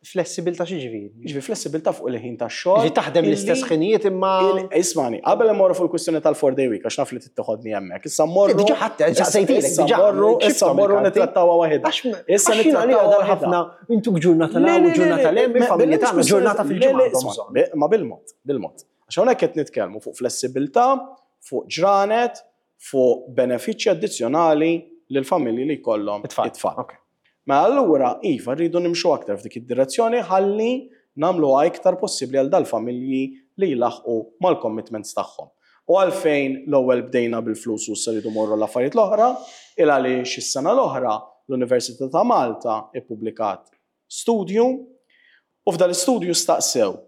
Flessibilità xi ġifieri? Ġifieri flessibilità fuq il-ħin tax-xogħol. Ġifieri taħdem illi l-istess ħinijiet imma il- Ismani, qabel immorru fuq il-kwistjoni tal-four day week, għax naf li tittoħodni hemmhekk. Issa mmorru. Diġà ħadd saqsejtilek, Issa diġà mmorru, issa xiftom mmorru il-karti. nittrattawha waħedha. Għax Issa għax jiena nittrattawha għalija waħedha. ħafna intu ġurnata Le, l le, u ġurnata le, l-hemm, le, il-familja le, tagħna le, ġurnata le, fil-ġimgħa le, għandhom isma', bżonn. be- Ma bil-mod, bil-mod. Għax hawnhekk qed nitkellmu fuq flessibilità, fuq ġranet, fuq benefiċċji addizzjonali lil familji li jkollhom It-tfal. it-tfal. Ok. Ma allura, iva, rridu nimxu aktar f'dik id-direzzjoni ħalli nagħmluha iktar possibbli għal dal-familji li jlaħqu mal-commitments tagħhom. U għalfejn l-ewwel bdejna bil-flus u issa rridu morru l-affarijiet l-oħra, il għaliex is-sena l-oħra l-Università ta' Malta ippubblikat studju u f'dal istudju staqsew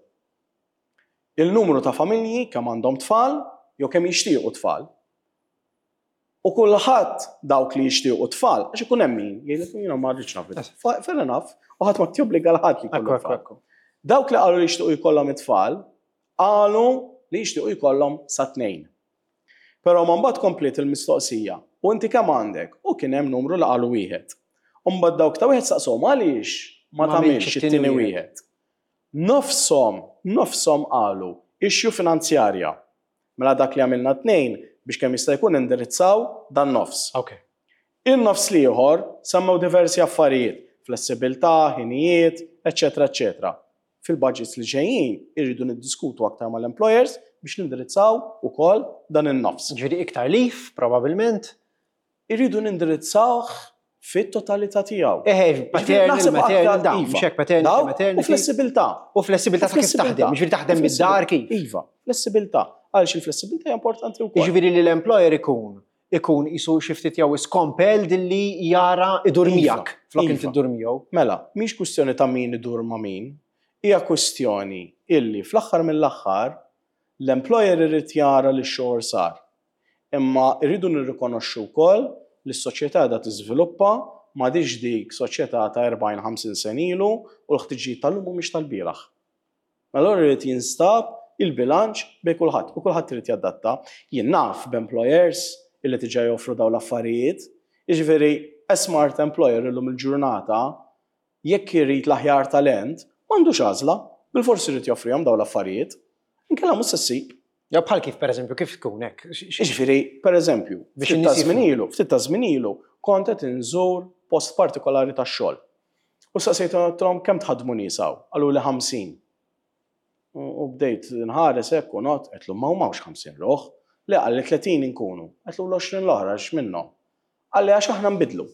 il-numru ta' familji kemm għandhom tfal jew kemm jixtiequ tfal. U kulħadd dawk li jixtiequ tfal, għax ikun hemm min jgħidlek jiena ma rridx naf it-tfal. Fa-, fair enough, u ħadd ma tjobbliga l ħadd li jkollu Ekku, ekku, tfal. ekku. Dawk li qalu li jixtiequ jkollhom it-tfal, qalu li jixtiequ jkollhom sa tnejn. Però ma mbagħad kompliet il-mistoqsija, u inti kemm għandek? U kien hemm numru li qalu wieħed. U mbagħad dawk ta' wieħed saqshom għaliex ma Ma tagħmilx għamilx it-tieni it-tieni wieħed. Nofshom, nofshom qalu issue finanzjarja. Mela dak li għamilna tnejn biex kemm jista' jkun indirizzaw dan nofs. Ok. Il-nofs l-ieħor semmew diversi affarijiet, flessibilità, ħinijiet, eċetera, eċetera. Fil-budgets li ġejjin irridu niddiskutu aktar mal-employers biex nindirizzaw ukoll dan in-nofs. Ġifieri iktar leave, probabbilment. Irridu nindirizzawh fit-totalità tiegħu. Eħe, paternal, Naħseb maternal, aktar, dawn, iva. mhux hekk paternal, Dawn, U maternity. flessibilità. U flessibilità ta' kif taħdem, ġifieri taħdem mid-dar kif. Iva, flessibilità. Għaliex il-flessibilità hija importanti wkoll. Jiġifieri li l-employer ikun ikun isu xi ftit jew is compelled li jara idur Iva, miegħek flok iva. inti ddur miegħu. Mela, mhix kwistjoni ta' min idur ma' min, hija kwistjoni illi fl-aħħar mill-aħħar l-employer irid jara li x-xogħol sar. Imma rridu nirrikonoxxu wkoll li s-soċjetà qiegħda tiżviluppa m'għadix dik soċjetà ta' erbgħin ħamsin sen ilu u l-ħtiġijiet tal-lum mhumiex tal-bieraħ. Mela allura irid jinstab il-bilanċ bejn kulħadd u kulħadd irid jadatta. Jien naf b'employers illi diġà joffru dawn l-affarijiet. Jiġifieri a smart employer illum il-ġurnata, jekk irid l-aħjar talent, m'għandux għażla, bil-forsi irid joffrihom dawn l-affarijiet. Inkella mhux se ssib. Ja, bħal kif, per eżempju, kif tkun hekk? Jiġifieri, per eżempju, Biex ftit ta' in-nies żmien ilu, ftit ta' żmien ilu, kont qed inżur post partikolari tax-xogħol. U saqsejthom, "Kemm tħaddmu nies hawn?" Qalu li ħamsin. U u bdejt nħares hekk u not, għedtlu, "Ma m'hawnx ħamsin ruħ." Le, qalli, tletin inkunu. Għedtlu, "L-għoxrin l-oħra x'minnhom?" Qalli, "Għax aħna nbidlu."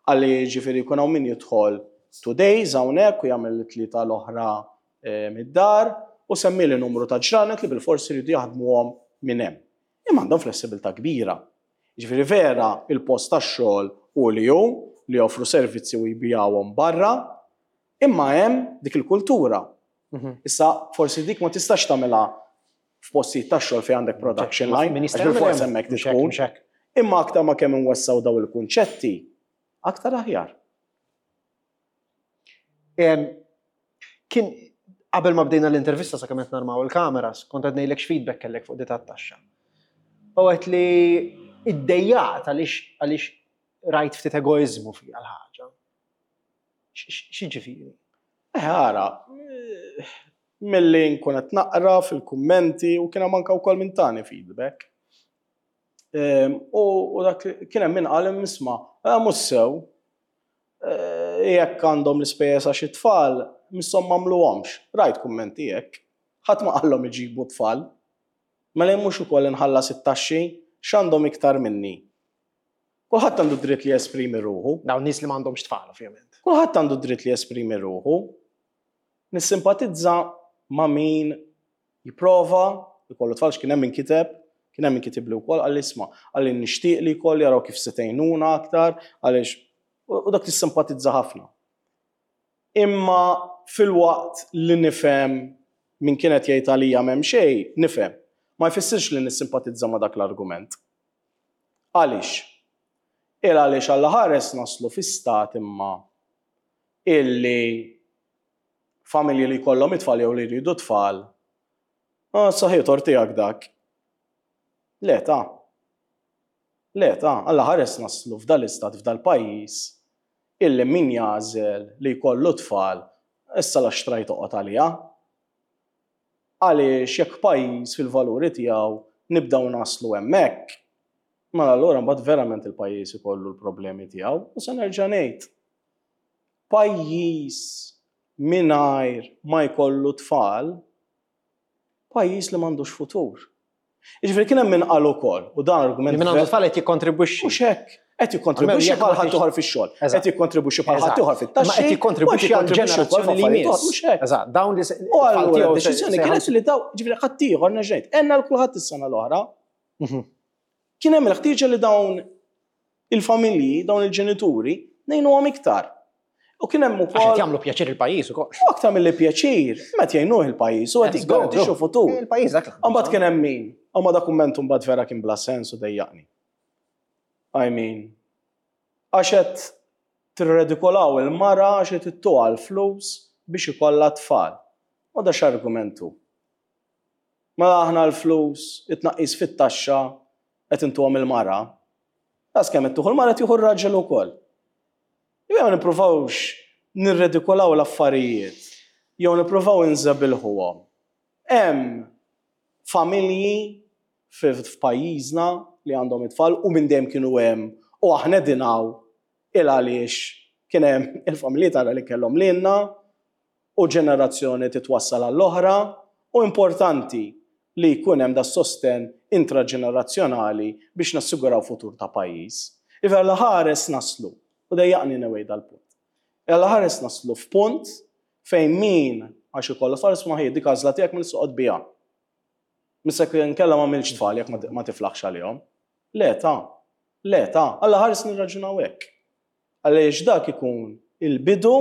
Qalli, ġifieri jkun hawn min jidħol two days hawnhekk u jagħmel it-tlieta l-oħra eh, mid-dar, u semmili numru ta' ġranet li bil-forsi jridu jaħdmuhom minn hemm. Imma għandhom flessibilità kbira. Ġifieri vera il-post tax-xogħol u li hu li joffru servizzi u jbijawhom barra, imma hemm dik il-kultura. Mhm. Issa forsi dik ma tistax tagħmilha f'postijiet tax-xogħol fejn għandek production line, Min għax jista' bil-fors hemmhekk mhux hekk, tkun. mhux hekk. Imma aktar ma kemm inwessaw daw il-kunċetti, aktar aħjar. Em, Kien qabel ma bdejna l-intervista, sa kemm qed narmaw il-kameras, kont qed ngħidlek x'feedback kellek fuq di tat-taxxa. U għedt li iddejjaqt għaliex għaliex rajt ftit egoizmu fiha l-ħaġa. X'jiġifieri? Eh, ara, eh, milli nkun qed naqra fil-kummenti u kien hemm anke wkoll minn tani feedback. Em, U u dak li- kien hemm min qal, "Isma', eh, mhux sew. Eh, Jekk għandhom l-ispejjeż għax it-tfal, misshom m'għamluhomx." Rajt kummenti hekk. Ħadd ma qallhom iġibu tfal. Mela jien mhux ukoll inħallas it-taxxi, x'għandhom iktar minni? Kulħadd għandu dritt li jesprimi ruħu. Dawn nies li m'għandhomx tfal, ovvjament. Kulħadd għandu dritt li jesprimi ruħu. Nissimpatizza ma' min jipprova jkollu tfal, kien hemm min kiteb, kien hemm min kitib li wkoll qalli, "Isma'," qalli, "nixtieq li jkolli, jaraw kif se tgħinuna aktar," għaliex u u dak tissimpatizza ħafna. Imma filwaqt li nifhem min kienet jgħid għalija m'hemm xejn, nifhem. Ma jfissirx li nissimpatizza ma' dak l-argument. Għaliex? Il għaliex Alla ħares naslu fi stat imma illi familji li jkollhom it-tfal jew li jridu tfal, "Ah, saħi tort tiegħek dak." Le ta. Le ta, Alla ħares naslu f'dal-istat, f'dal-pajjiż, illi min jagħżel li jkollu tfal, issa la xtrajt toqgħod għalija. Għaliex jekk pajjiż fil-valuri tiegħu nibdew naslu hemmhekk, mela allura mbagħad verament il-pajjiż ikollu l-problemi tiegħu, u se nerġa' ngħid. Pajjiż mingħajr ma jkollu tfal, pajjiż li m'għandux futur. Jiġifieri kien hemm min qal ukoll, u dan argument Li min għandu tfal qed jikkontribwixxi. Mhux hekk. Qed jikkontribwixxi Jekk ma bħal ħadd tix- ieħor fix-xogħol, Eżatt. qed jikkontribwixxi bħal ħadd Eżatt. ieħor fit-taxxi, Ma qed jikkontribwixxi u qed jikkontribwixxi għal wkoll ġenerazzjoni li f'affarijiet oħra, jmiss. mhux hekk. Eżatt, dawn li se- U allura tfal tiegħu se- d-deċiżjoni se kienet li daw, ġifieri ħadd ieħor nerġa' għenna l kulħadd is-sena l-oħra. Mhm. Kien hemm il-ħtieġa li dawn il-familji, dawn il-ġenituri, ngħinuhom iktar. U kien hemm Għax ukoll qed jagħmlu pjaċir il-pajjiż ukoll. U aktar mill-li pjaċir, meta jgħinuh il-pajjiż u qed jiggarantixxu futur. Il-pajjiż dak. Mbagħad kien hemm min, imma da kumment mbagħad vera kien bla sens u dejjaqni. I mean, għax qed tirredikolaw il-mara għax qed ittuha l-flus biex ikollha tfal. U da x'argumentu? Mela aħna l-flus, it-tnaqqis fit-taxxa qed intuhom il-mara. Das kemm qed tieħu l-mara tieħu r-raġel ukoll. Jew ma nippruvawx nirredikolaw l-affarijiet, jew nippruvaw inżebilħuhom. Hemm familji f'pajjiżna li għandhom it-tfal u minn dejjem kienu hemm u aħna dinaw il għaliex kien hemm il-familji tagħna li kellhom lilna u ġenerazzjoni titwassal għall-oħra, u importanti li jkun hemm da sosten intraġenerazzjonali biex nassiguraw futur ta' pajjiż. Iva la ħares naslu, u dejjaqni anyway dal-punt. Alla ħares naslu f'punt fejn min għax ikollu tfal, isma' dik għażla tiegħek, minn soqgħod biha. Missek nkella ma milx tfal jekk ma tiflaħx għalihom. Le ta, le ta, Alla ħares nirraġunaw hekk. Għaliex dak ikun il-bidu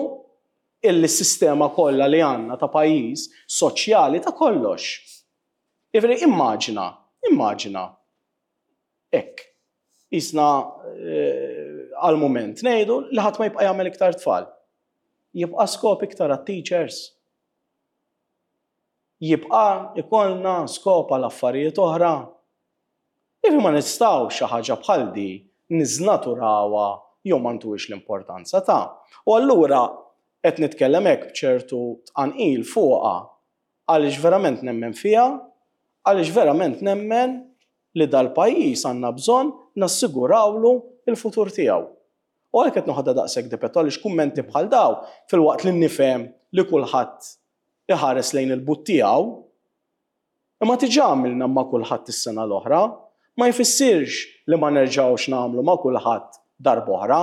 illi s-sistema kollha li għandna ta' pajjiż soċjali ta' kollox. Jiġifieri immaġina, immaġina, hekk, jisna eh, għal-moment ngħidu li ħadd ma jibqa' jagħmel iktar tfal. Jibqa' skop iktar għat-teachers. Jibqa' ikollna skop għal affarijiet oħra. Ivi ma nistgħux xi ħaġa bħal di niżnaturawha jew ma ntuhiex l-importanza ta'. U allura qed nitkellem hekk b'ċertu tqanqil fuqha għaliex verament nemmen fiha, għaliex verament nemmen li dal-pajjiż għandna bżonn nassigurawlu il-futur tiegħu. U għalhekk qed noħodha daqshekk dipettu għaliex kummenti bħal daw filwaqt li nifhem li kulħadd iħares lejn il-but tiegħu, imma diġà għamilna ma' kulħadd is-sena l-oħra, ma jfissirx li ma nerġgħux nagħmlu ma' kulħadd darb'oħra,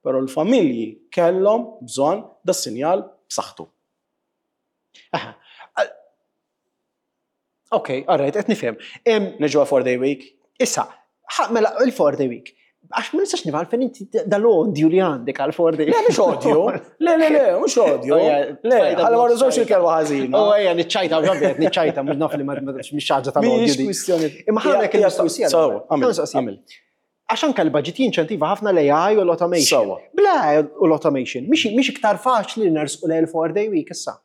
però l-familji kellhom bżonn da sinjal b'saħħtu. Aha. Ok, all right, qed nifhem. Em, Niġu għal four day week. Issa, ħa- mela il-four day week. Għax ma nistax nifhem għalfejn inti dal-odju li għandek għal four day Le, mhux odju. Le, le, le, mhux odju. Oh, yeah, Le, tfajda ħalli ma b'mod nużawx il-kelma ħażina. Oh, ejja, niċċajta, ovvjament, niċċajta, mhux naf li ma mhix ħaġa tal-odju Mhix di. kwistjoni. Imma ħa nagħmel il-mistoqsija. So, għamil, Mistoqsija. għamil. Għax anke l-budget jinċentiva ħafna l-A I u l-automation. Sewwa. Bla u l-automation, mhix mhix iktar faċli li nersqu lejn il-four day week issa.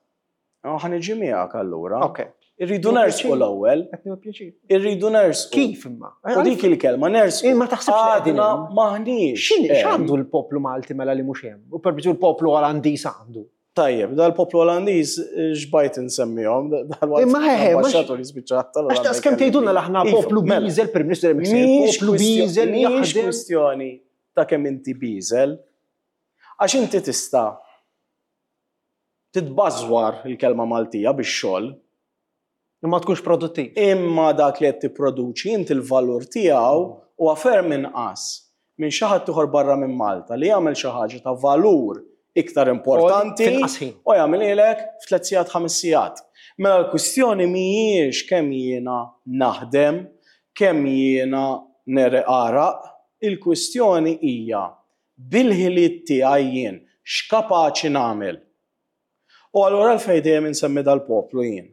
Oh, ħa niġi miegħek allura. Ok. Irridu nersqu l-ewwel, Qed nieħu pjaċir. irridu nersqu. Kif imma? U dik il-kelma nersqu. Eh, ma taħsibx li qegħdin Għadna hemm? maħniex. X'inhi hemm. x'għandu l-poplu Malti mela li mhux hemm? U per l-poplu Olandiż għandu. Tajjeb, dal-poplu Olandiż xbajt insemmihom, dal-waqt Imma ħeħe, mhux- l-ambasċatur jispiċċa Għax daqs kemm tgħidulna li aħna Iva, poplu mela. biżel, Prim Ministru dejjem jsejjaħ, Mhix poplu biżel li mhix jaħdem. kwistjoni ta' kemm inti biżel. Għax inti tista' titbażwar il-kelma Maltija bix-xogħol, Imma tkunx produttiv. Imma dak li qed tipproduċi inti l-valur tiegħu huwa ferm inqas minn xi ħadd ieħor barra minn Malta li jagħmel xi ħaġa ta' valur iktar importanti Finqas ħin. u jagħmilhielek f'tliet sigħat, ħames sigħat. Mela l-kwistjoni mhijiex kemm jiena naħdem, kemm jiena negħreq għaraq, il-kwistjoni hija bil-ħiliet tiegħi jien x'kapaċi nagħmel. U allura għalfejn dejjem insemmi dal-poplu jien.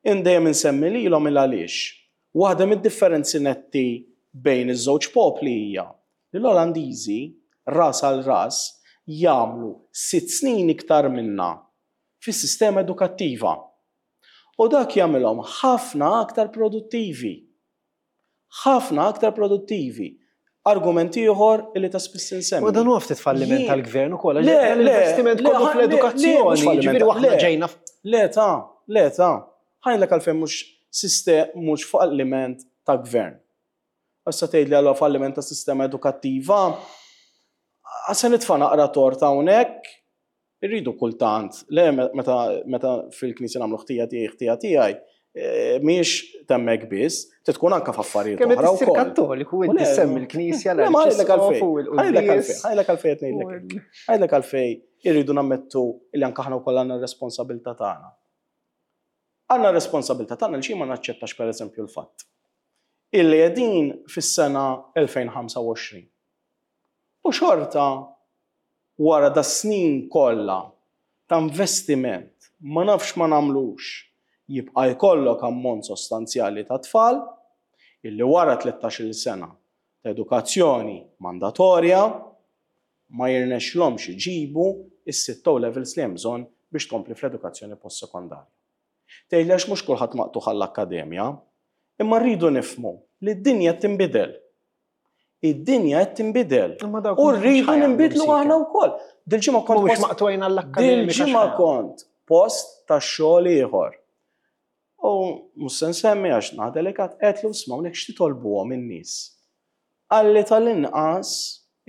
In dejjem insemmi lilhom il għaliex. Waħda mid-differenzi netti bejn iż-żewġ popli hija li l-Olandiżi ras għal ras jagħmlu sitt snin iktar minna fis-sistema edukattiva. U dak jagħmilhom ħafna aktar produttivi. Ħafna aktar produttivi. Argument ieħor li ta' spiss insemmi. U dan huwa ftit falliment Jien- tal-gvern ukoll, Le, għax le, l-investiment le, kollu le, le, mhux fl-edukazzjoni, falliment, ġifieri aħna le. ġejna Le ta', le ta'. Ħa ngħidlek għalfejn mhux sistem mhux falliment ta' gvern. Issa tgħidli għallu falliment ta' sistema edukattiva. Se nitfa' naqra torta hawnhekk, irridu kultant, le meta meta fil-knisja nagħmlu ħtija tiegħi ħtija tiegħi, eh, mhijiex temmek biss, tkun anke f'affarijiet kemm oħra qed issir wkoll. Kattoliku U inti le, semmi l-Knisja, Le, ma ħa ngħidlek għalfejn, l-Arċisqof u ħa ngħidlek għalfejn, l-quddies. ħa ngħidlek għalfejn qed ngħidlek. Ħa ngħidlek għalfejn irridu nammettu li anke aħna wkoll għandna r-responsabilità tagħna. Għandna r-responsabilità tagħna li xi ma naċċettax pereżempju l-fatt illi qegħdin fis-sena elfejn u ħamsa u għoxrin. U xorta wara da snin kollha ta' investiment ma nafx ma nagħmlux jibqa' jkollok ammont sostanzjali ta' tfal illi wara tlettax-il sena ta' edukazzjoni mandatorja ma jirnexxlhomx iġibu is-sitt O levels li hemm bżonn biex tkompli fl-edukazzjoni post-sekondarja. Tgħidli għax mhux kulħadd maqtugħ għall-akkademja, imma rridu nifhmu li d-dinja qed tinbidel. Id-dinja qed tinbidel. Imma dawk U mhux rridu ħa jagħmlu ninbidlu msieker. aħna wkoll. Dil-ġimgħa kont Mhuwiex post- maqtugħin għall-akkademika. Dil-ġimgħa kont post ta' xogħol ieħor. U mhux se nsemmi għax naħa delikat, għedtlu isma' hawnhekk x'titolbuhom in-nies. Qalli tal-inqas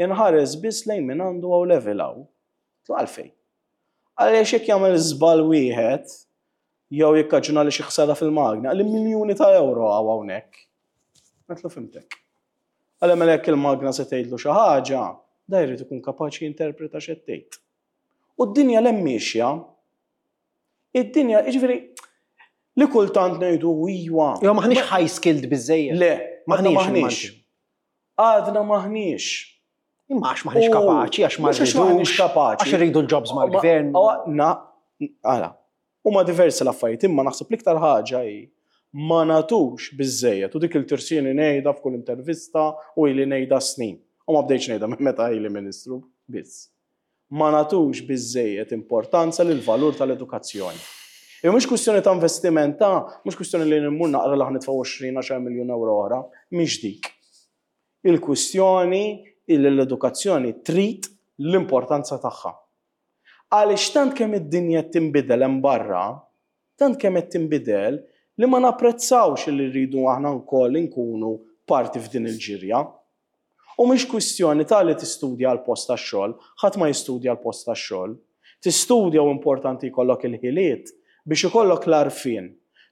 inħares biss lejn min għandu O level hawn. Għedtlu għalfejn. Għaliex jekk jagħmel żball wieħed jew jikkaġuna li xi ħsara fil-magna, qalli miljuni ta' euro hawn hawnhekk. Għedtlu fhimtek. Għalli mela jekk il-magna se tgħidlu xi ħaġa, da jrid ikun kapaċi jinterpreta x'qed tgħid. U d-dinja l miexja, id-dinja, jiġifieri, li kultant ngħidu iwa. Jo maħniex high skilled biżejjed. Le, Maħniex maħniex. Għadna maħniex. Imma għax maħniex U- kapaċi, għax ma mhux għax maħniex rridux, kapaċi. għax irridu l-jobs mal-gvern. Ma- Na, għala. Huma diversi l-affarijiet, imma naħseb l-iktar ħaġa hi ma nagħtux biżejjed u dik il-tirsini ngħidha f'kull intervista u ili ngħidha snin. U ma bdejtx ngħidha minn meta ili ministru biss. Ma nagħtux biżejjed importanza lil valur tal-edukazzjoni. Mhux kwistjoni ta' investiment ta' mhux kwistjoni li nimmur naqra li ħa nitfgħu għoxrin għaxar miljun euro oħra, mhix dik. Il-kwistjoni illi l-edukazzjoni trid l-importanza tagħha. Għaliex tant kemm id-dinja tinbidel hemm barra, tant kemm qed tinbidel li ma napprezzawx li rridu aħna wkoll inkunu parti f'din il-ġirja. U mhix kwistjoni ta' li tistudja għal post tax-xogħol, ħadd ma jistudja għal post tax-xogħol. Tistudja u importanti jkollok il-ħiliet biex ikollok l-għarfien,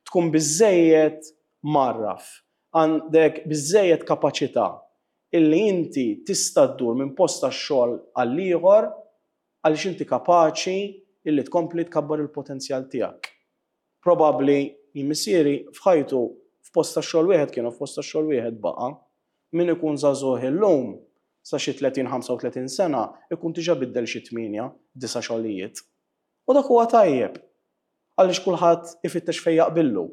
tkun biżejjed marraf, għandek biżejjed kapaċità illi inti tista' ddur minn post tax-xogħol għal ieħor għaliex inti kapaċi illi tkompli tkabbar il-potenzjal tiegħek. Probabbli jien missieri f'ħajtu f'post tax-xogħol wieħed kienu f'post tax-xogħol wieħed baqa'. Min ikun żagħżugħ illum sa xi tletin ħamsa u tletin sena ikun diġà biddel xi tmienja, disa' xogħlijiet. U dak huwa tajjeb għaliex kulħadd ifittex fejn jaqbillu.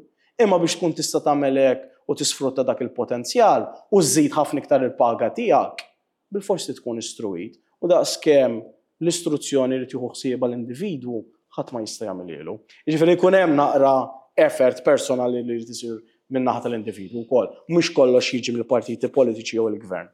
Imma biex tkun tista' tagħmel hekk u tisfrutta dak il-potenzjal u żżid ħafna iktar il-paga tiegħek, bilforsi tkun istruit. U daqskemm l-istruzzjoni li tieħu ħsiebha l-individwu ħadd ma jista' jagħmilhielu. Jiġifieri jkun hemm naqra effort personali li jrid isir min-naħa tal-individwu wkoll, mhux kollox jiġi mill-partiti politiċi jew il-gvern.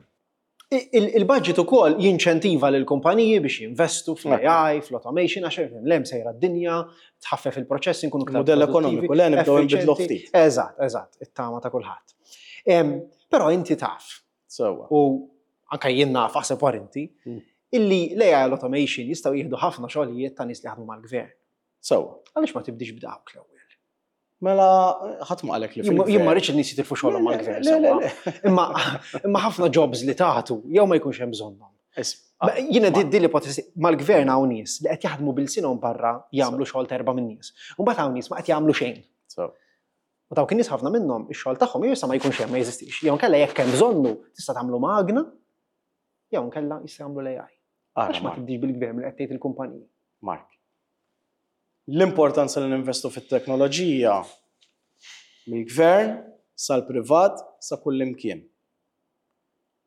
Il-budget ukoll jinċentiva lil kumpaniji biex jinvestu fl-A I, fl-automation, għax l-hemm sejra d-dinja, tħaffef il-proċess, inkunu iktar Modell ekonomiku, le nibdew nbidlu ftit. Eżatt, eżatt, it-tama ta' kulħadd. Però inti taf. Sewwa. U anka jien naf, aħseb war inti, Mm. illi l-A I l-automation jistgħu jieħdu ħafna xogħlijiet ta' nies li jaħdmu mal-gvern. Sewwa. Għaliex ma tibdix b'dawk l-ewwel? Mela, ħadd ma qalek li Jien ma- fil-gvern. Jien ma rridx in-nies jitilfu xogħolhom Le, mal-gvern, le, le, sewwa. le. Imma imma ħafna jobs li tagħtu jew ma jkunx hemm bżonnhom. Is- Ma- Jiena ma- di di l-ipotesi mal-gvern hawn nies li qed jaħdmu bil-sinhom barra jagħmlu xogħol terba' minn nies. U mbagħad hawn nies ma qed jagħmlu xejn. So. U dawk in-nies ħafna minnhom ix-xogħol tagħhom jew issa ma jkunx hemm, ma jeżistix. Jew nkella jekk hemm bżonnu tista' tagħmlu magna, jew nkella jista' jagħmlu l-A I. Ara, Għax ma Mark. tibdix bil-gvern li qed tgħid il-kumpaniji. Mark. L-importanza li ninvestu fit-teknoloġija mill-gvern sal-privat sa kull imkien.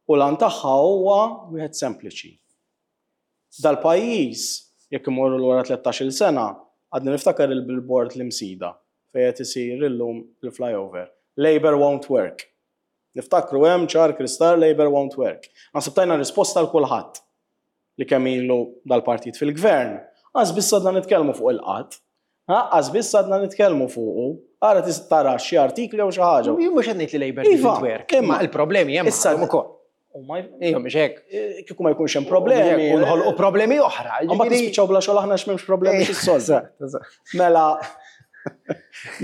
U l-għan tagħha huwa wieħed sempliċi. Dal-pajjiż, jekk imorru lura tlettax-il sena, għadni niftakar il-billboard l-Imsida fejn qed isir illum il-flyover. Labor won't work. Niftakru hemm ċar kristal Labor won't work. Naħseb tajna risposta għal kulħadd li kemm ilu dal-partit fil-gvern. Għax biss għadna nitkellmu fuq il-qatt. Għax biss għadna nitkellmu fuqu. Ara tis tara xi artikli jew xi ħaġa. Jien mhux qed ngħid li Labor Iva, didn't work, imma imma il-problemi hemm issa għadhom ukoll. U ma Ejja, mhux hekk. Eh, kieku ma jkunx hemm problemi. U nħolqu problemi oħra. Mbagħad Ġifieri- nispiċċaw bla xogħol aħna għax m'hemmx problemi x'issolvi. Eżatt, eżatt. Mela,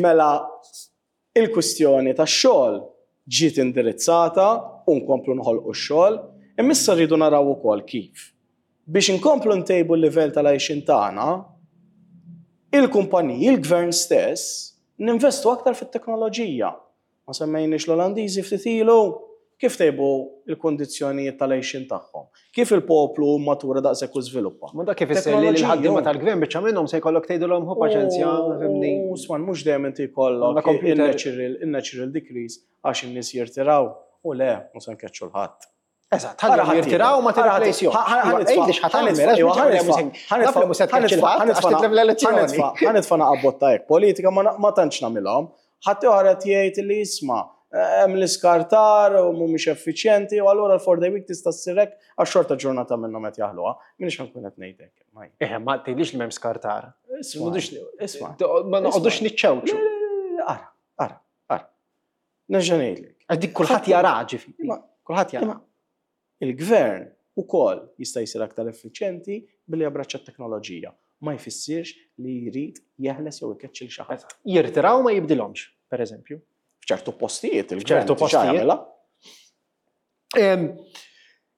mela, il-kwistjoni tax-xogħol ġiet indirizzata u nkomplu nħolqu x-xogħol, imma issa rridu naraw ukoll kif. Biex inkomplu ntejbu l-livell tal-għajxin tagħna, il-kumpaniji, il-gvern stess, ninvestu aktar fit-teknoloġija. Ma semmejniex l-Olandiżi ftit ilu, kif tejbu il-kondizzjonijiet tal-għajxin tagħhom? Kif il-poplu matura daqshekk u żviluppa? Ma dak kif isser li l-ħaddiema tal-gvern biċċa minnhom se jkollok tgħidulhom hu paċenzja, fimni. U sman, mhux dejjem inti jkollok Għandna computer. il-natural il-natural decrease għax in-nies jirtiraw. U le, mhux se nkeċċu l-ħadd. Eżatt, ħalli jirtiraw ma tirreplacejhom. Għidli x'ħa tagħmel, għax naf li mhux se tkeċċi l-ħadd għax titlef l-elezzjoni. Ħa nitfa' naqabbotta hekk, politika ma ma tantx nagħmilhom. Ħadd ieħor qed jgħid li jisma' hemm l-iskartar u mhumiex effiċjenti u allura l-four day week tista' ssir hekk għax xorta ġurnata minnhom qed jaħluha. Minix ħankun qed ngħid hekk. ma jien. Eh, ma tgħidlix li m'hemm skartar. Isma' isma'. Ma noqogħdux niċċewċu. Le, le, le, le, Ara, ara, ara. Nerġa' ngħidlek. Għax dik kulħadd jara ġifieri. Imma- Kulħadd jara. Imma il-gvern ukoll jista' jsir aktar effiċjenti billi jabbraċċa t-teknoloġija. Ma jfissirx li jrid jeħles jew ikeċċi l xi ħadd. Jirtiraw ma jibdilhomx, per eżempju. F'ċertu postijiet, il-gvern F'ċertu diġà postijiet. jagħmilha. Em,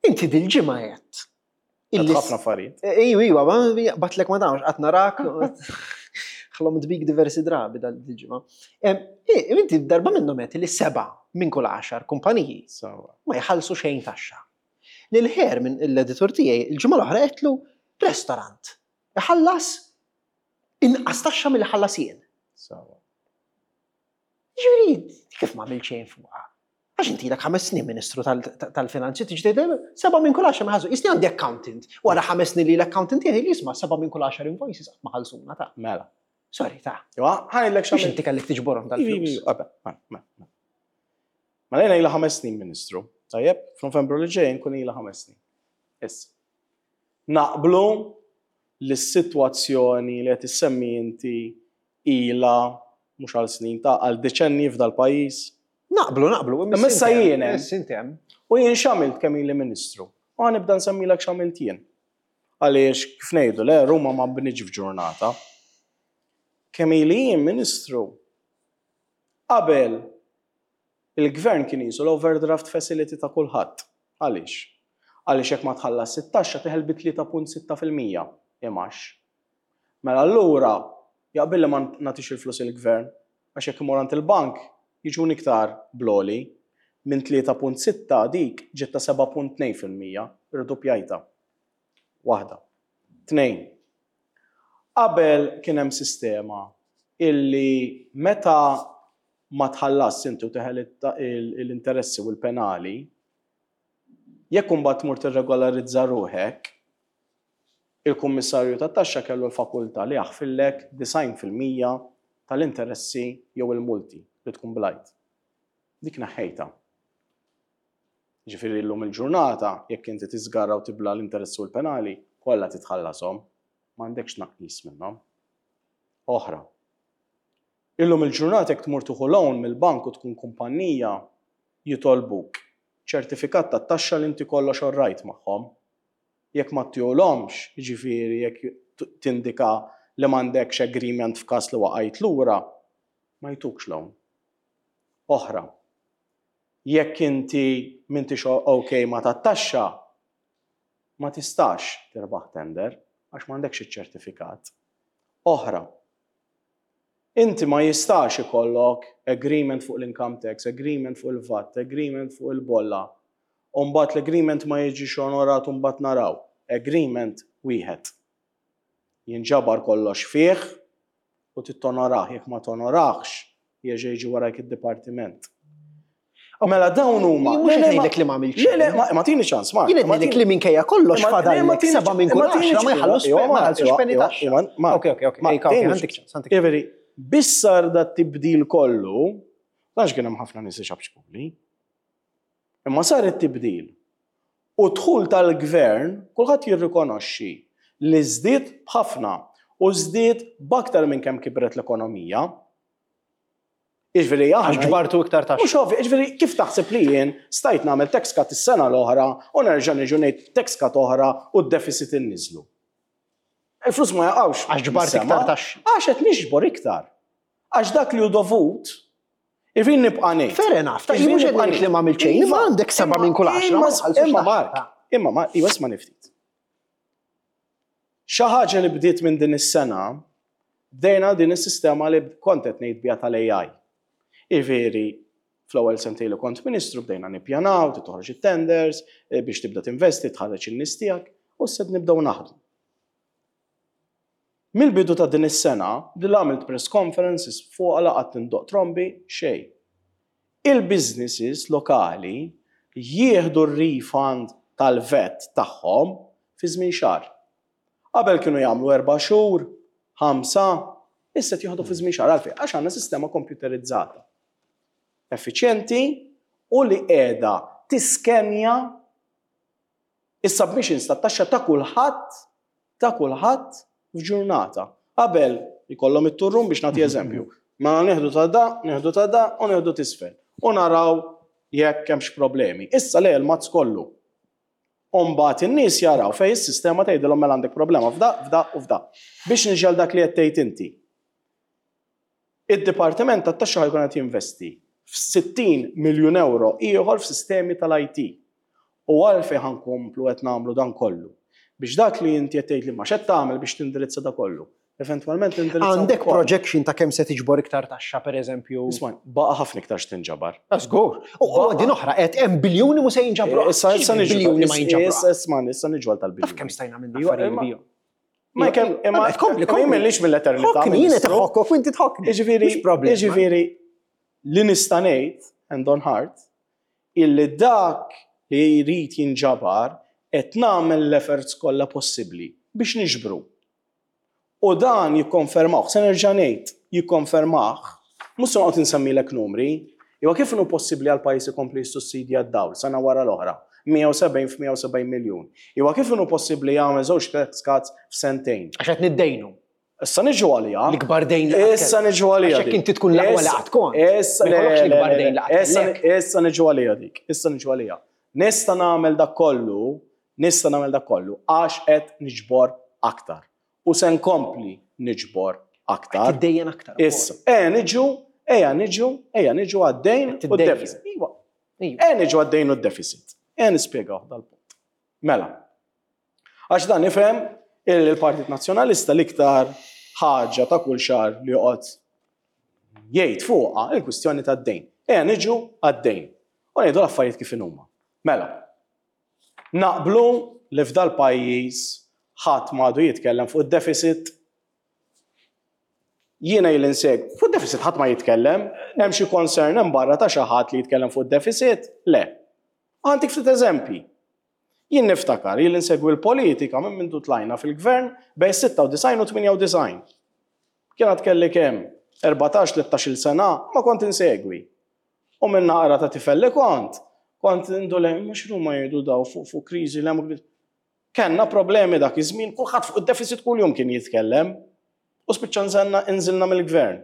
Inti dil-ġimgħa għedt. Illi ħafna affarijiet. Ejju, ejju, ma batlek ma dawx, qatt narak. Ħlomt bik diversi drabi dal-ġimgħa. Inti darba minnhom għedt li seba' minn kull għaxar kumpaniji Sewwa. ma jħallsu xejn taxxa. Lil ħer minn l-editur tiegħi il-ġimgħa l-oħra għedtlu restaurant iħallas inqas taxxa milli ħallas jien. Sewwa. Ġifieri, kif ma għamilt xejn fuqha? Għax inti ilek ħames snin ministru tal- tal-finanzi, tiġi tgħid seba' minn kull għaxar ma ħallsu. Jisni għandi accountant. Wara ħames snin li l-accountant tiegħi li jisma' seba' minn kull għaxar invoices qatt ma ħallsuna ta' Mela. Sorry, ta' Iwa, ħa ngħidlek biex x'għamilt. inti kellek tiġborhom dal-flus. Ma lejna ilha ħames snin ministru. Tajjeb, f'Novembru li ġej nkun ilha ħames snin. Issa. Naqblu li s-sitwazzjoni li qed issemmi inti ilha mhux għal snin ta' għal deċenni f'dal pajjiż. Naqblu, naqblu. Imma issa jien hemm. Issa inti hemm. U jien x'għamilt kemm ili ministru. U ħa nibda nsemmilek x'għamilt jien. Għaliex kif ngħidu le Ruma ma bnietx f'ġurnata. Kemm ili jien ministru. Qabel il-gvern kien jisu l-overdraft facility ta' kulħadd. Għaliex? Għaliex jekk ma tħallas it-taxxa teħel bi tlieta punt sitta fil-mija imax. Mela allura jaqbil li ma nagħtix il-flus il-gvern għax jekk imur għand il-bank jiġun iktar bloli minn tlieta punt sitta dik ġiet ta' seba' punt tnejn fil-mija, irdoppjajta. Waħda. Tnejn. Qabel kien hemm sistema illi meta ma tħallas inti u teħel l-interessi u l-penali, jekk imbagħad tmur tirregolarizza ruħek, il-kummissarju tat-taxxa kellu l-fakultà li jaħfillek disgħin fil-mija tal-interessi jew il-multi li tkun blajt. Dik neħħejta. Ġifieri llum il-ġurnata, jekk inti tiżgarra u tibla l-interessi u l-penali, kollha titħallasom, m'għandekx tnaqqis minnhom. Oħra. Illum il-ġurnata jekk tmur tieħu loan mill-bank u tkun kumpanija jitolbuk ċertifikat ta' taxxa li inti kollox alright magħhom. Jekk ma ttihomx, jiġifieri jekk tindika li m'għandekx agreement f'każ li waqajt lura, ma jtukx loan. Oħra. Jekk inti m'intix ok ma tat-taxxa, ma tistax tirbaħ tender għax m'għandekx iċ-ċertifikat. Oħra. Inti ma jistax ikollok agreement fuq l-income tax, agreement fuq il-VAT, agreement fuq il-bolla. Umbagħad l-agreement ma jiġix onorat, umbagħad naraw. Agreement wieħed. Jinġabar kollox fih u tittonorah. Jekk ma tonoraħx, jerġa' jiġi warajk id-dipartiment. Mela dawn huma. Mhux qed ngħidlek li ma għamiltx Le, le, ma ma tini ċans, Mark. Jien qed ngħidlek li minkejja kollox fadallek seba' minn kull għaxra ma jħallux ma jħallsux penny taxxa. Ok, ok, ok, ok, għandek ċans, għandek. Ġifieri, bissar da tibdil kollu, għax kien hemm ħafna nies xabxkuli. Imma sar it-tibdil. U dħul tal-gvern, kulħadd jirrikonoxxi li żdied b'ħafna u żdied b'aktar minn kemm kibret l-ekonomija. Iġveri, Għax ġbartu iktar taxxa. Mhux ovvju, ġifieri, kif taħseb li jien stajt nagħmel tax cut is-sena l-oħra u nerġa' niġu ngħid tax cut oħra u d-deficit inniżlu? Il-flus ma jaqgħux. Għax ġbart mis-sema. iktar taxxi. Għax qed niġbor iktar. Għax dak li hu dovut, irrid nibqa' ngħid. Fair enough, ta' mhux qed ngħid li ma għamilt xejn, imma għandek seba' minn kull għaxra. ma jħallsux Imma taxxa. Mark, imma Mark, iwa isma' niftit. Xi ħaġa li bdiet minn din is-sena, bdejna din is-sistema li kont qed ngħid biha tal-A I. Iveri, fl-ewwel sentejn li kont ministru bdejna nippjanaw, toħroġ it-tenders, eh, biex tibda tinvesti, tħarreġ in-nies tiegħek, u s nibdew naħdmu. Mill-bidu ta' din is-sena, li għamilt press conferences fuq laqat tindoq trombi, xejn. Il-businesses lokali jieħdu r-refund tal-VAT tagħhom fi żmien xahar. Qabel kienu jagħmlu erba' xhur, ħamsa, issa qed jieħdu fi żmien xahar. Għalfejn? Għax għandna sistema komputerizzata. Effiċjenti u li qiegħda tiskenja is-submissions tat-taxxa ta' kulħadd ta' kulħadd f'ġurnata. Qabel ikollhom it-turrum biex nagħti eżempju. Ma nieħdu ta' da, nieħdu ta' da u nieħdu t'isfel. U naraw jekk hemmx problemi. Issa le l-mazz kollu. Umbagħad in-nies jaraw fej is-sistema tgħidilhom mela għandek problema f'da, f'da u f'da. Biex niġel dak li qed tgħid inti. Id-Dipartiment tat-Taxxa ħa jkun qed jinvesti f'sittin miljun euro ieħor f'sistemi tal-I T. U għalfejn ħa nkomplu qed nagħmlu dan kollu? Biex dak li inti qed tgħid li ma x'qed tagħmel biex tindirizza da kollu. Eventwalment tindirizza Għandek wkoll. projection ta' kemm se tiġbor iktar taxxa, per eżempju? Isma', baqa' ħafna iktar x'tinġabar. Żgur. U u din oħra, qed hemm biljuni mu se jinġabru. Issa issa niġu biljuni ma jinġabru. Issa isma' issa niġu għal tal-biljuni. Taf kemm stajna minna Iwa, affarijiet imma- bihom. Ma kemm imma Tkompli, imma kompli. jien mill-eternità. Ħokni, jien qed Ministru. ħokkok u inti tħokkni. Jiġifieri, Mhux problema. jiġifieri li nista' ngħid hand on heart illi dak li jrid jinġabar qed nagħmel l-efforts kollha possibbli biex niġbru. U dan jikkonfermawh, se nerġa' ngħid, jikkonfermah, mhux se noqgħod insemmilek numri, iwa kif inhu possibbli għal pajjiż ikompli jissussidja d-dawl sena wara l-oħra, mija u sebgħin f'mija u sebgħin miljun. Iwa kif inhu possibbli jagħmel żewġ tax cuts f'sentejn? Għax qed niddejnu. Issa niġu għalija. L-ikbar dejn li qatt Issa niġu għalija. Għax jekk inti tkun l-aqwa li qatt kont. Issa Ma jkollokx l-ikbar dejn li qatt Issa kellek. Issa niġu għalija dik. Issa niġu għalija. Nista' nagħmel dak kollu, nista' nagħmel dak kollu għax qed niġbor aktar. U se nkompli niġbor aktar. Tiddejjen aktar. Issa, eh niġu, ejja niġu, ejja niġu għad-dejn u Tiddejjen. d-deficit. Iva, Iva. eh niġu għad-dejn u d-deficit. Eh nispjegaw dal-punt. Mela, għax dan nifhem il-Partit Nazzjonalista l-iktar ħaġa ta' kull xahar li joqgħod jgħid fuqha il-kwistjoni tad-dejn. Ejja niġu għad-dejn. U ngħidu l-affarijiet kif huma. Mela, naqblu li f'dal pajjiż ħadd m'għadu jitkellem fuq id-deficit. Jiena il inseg, fuq deficit ħadd ma jitkellem, hemm xi concern hemm barra ta' xi ħadd li jitkellem fuq deficit? Le. Għandik ftit eżempji. Jien niftakar, jien insegwi l-politika minn mindu tlajna fil-gvern bejn sitta u disgħin u tmienja u disgħin. Kien għad kelli kemm erbatax tlettax-il sena ma kont insegwi. U minn naqra ta' tifel li kont, kont indule, mhux huma jgħidu daw fuq fuq kriżi li hemm. Kenna problemi dak iż-żmien, kulħadd fuq id-deficit kuljum kien jitkellem. U spiċċa nżelna inżilna mill-gvern.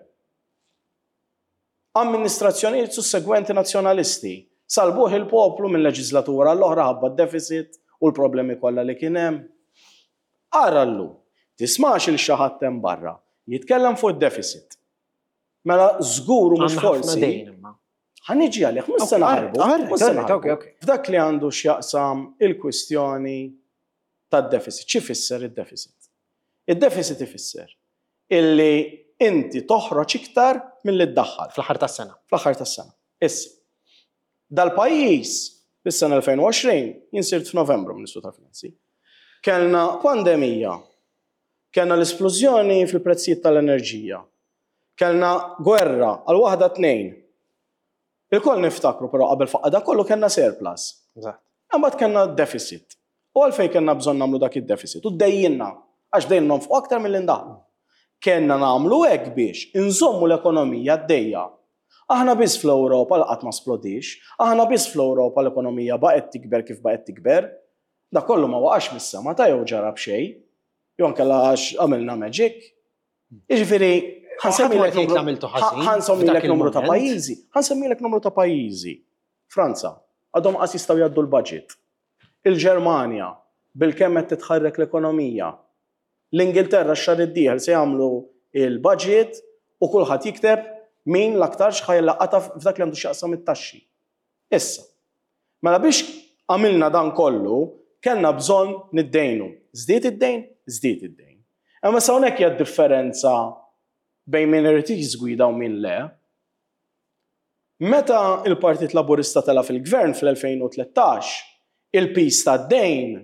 Amministrazzjonijiet sussegwenti nazzjonalisti salbuh il-poplu minn leġislatura l-oħra ħabba d-deficit u l-problemi kollha li kien hemm. Ara llum, tismax il xi ħadd hemm barra jitkellem fuq id-deficit. Mela żgur u mhux Għandna ħafna forsi. dejn imma. Ħa niġi għalih, mhux se Ok, naħarbu. alright, mhux se alright, naħarbu. ok, ok. F'dak li għandu x'jaqsam il-kwistjoni tad-deficit. Xi fisser id-deficit? Id-deficit ifisser illi inti toħroġ iktar milli ddaħħal Fl-aħħar tas-sena. Fl-aħħar tas-sena. Issa, dal-pajjiż fis-sena elfejn u għoxrin, jien sirt f'Novembru Ministru tal-Finanzi, kellna pandemija, kellna l-esplużjoni fil-prezzijiet tal-enerġija, kellna gwerra għal waħda tnejn. Il-koll niftakru, però qabel faqqa da kollu kellna surplus. Eżatt. Imbagħad kellna deficit. U għalfejn kellna bżonn nagħmlu dak id-deficit? U dejjinna, għax dejjem nonfqu aktar milli ndaħlu. Kellna nagħmlu hekk biex inżommu l-ekonomija għaddejja. Aħna biss fl-Ewropa li qatt ma splodix, aħna biss fl-Ewropa l-ekonomija baqgħet tikber kif baqgħet tikber. Da kollu ma waqax mis-sema ta' jew ġara b'xejn, jew ankella għax għamilna magic. Jiġifieri, Ħadd ma qed jgħid li għamiltu ħażin ħa nsemmilek f'dak numru ta' il-moment. pajjiżi, ħa nsemmilek numru ta' pajjiżi. Franza, għadhom qas jistgħu jgħaddu l-budget. Il-Ġermanja, bil-kemm qed titħarrek l-ekonomija. L-Ingilterra x-xahar id-dieħel se jagħmlu il-budget u kulħadd jikteb min l-aktar x'ħa jlaqata f'dak li għandu x'jaqsam it-taxxi. Issa, mela biex għamilna dan kollu, kellna bżonn niddejnu. Żdied id-dejn? Żdied id-dejn. Imma sa hawnhekk hija differenza bejn min irid jiżgwida u min le. Meta il-Partit Laburista tela fil-gvern fl-elfejn u tlettax, il-piż tad-dejn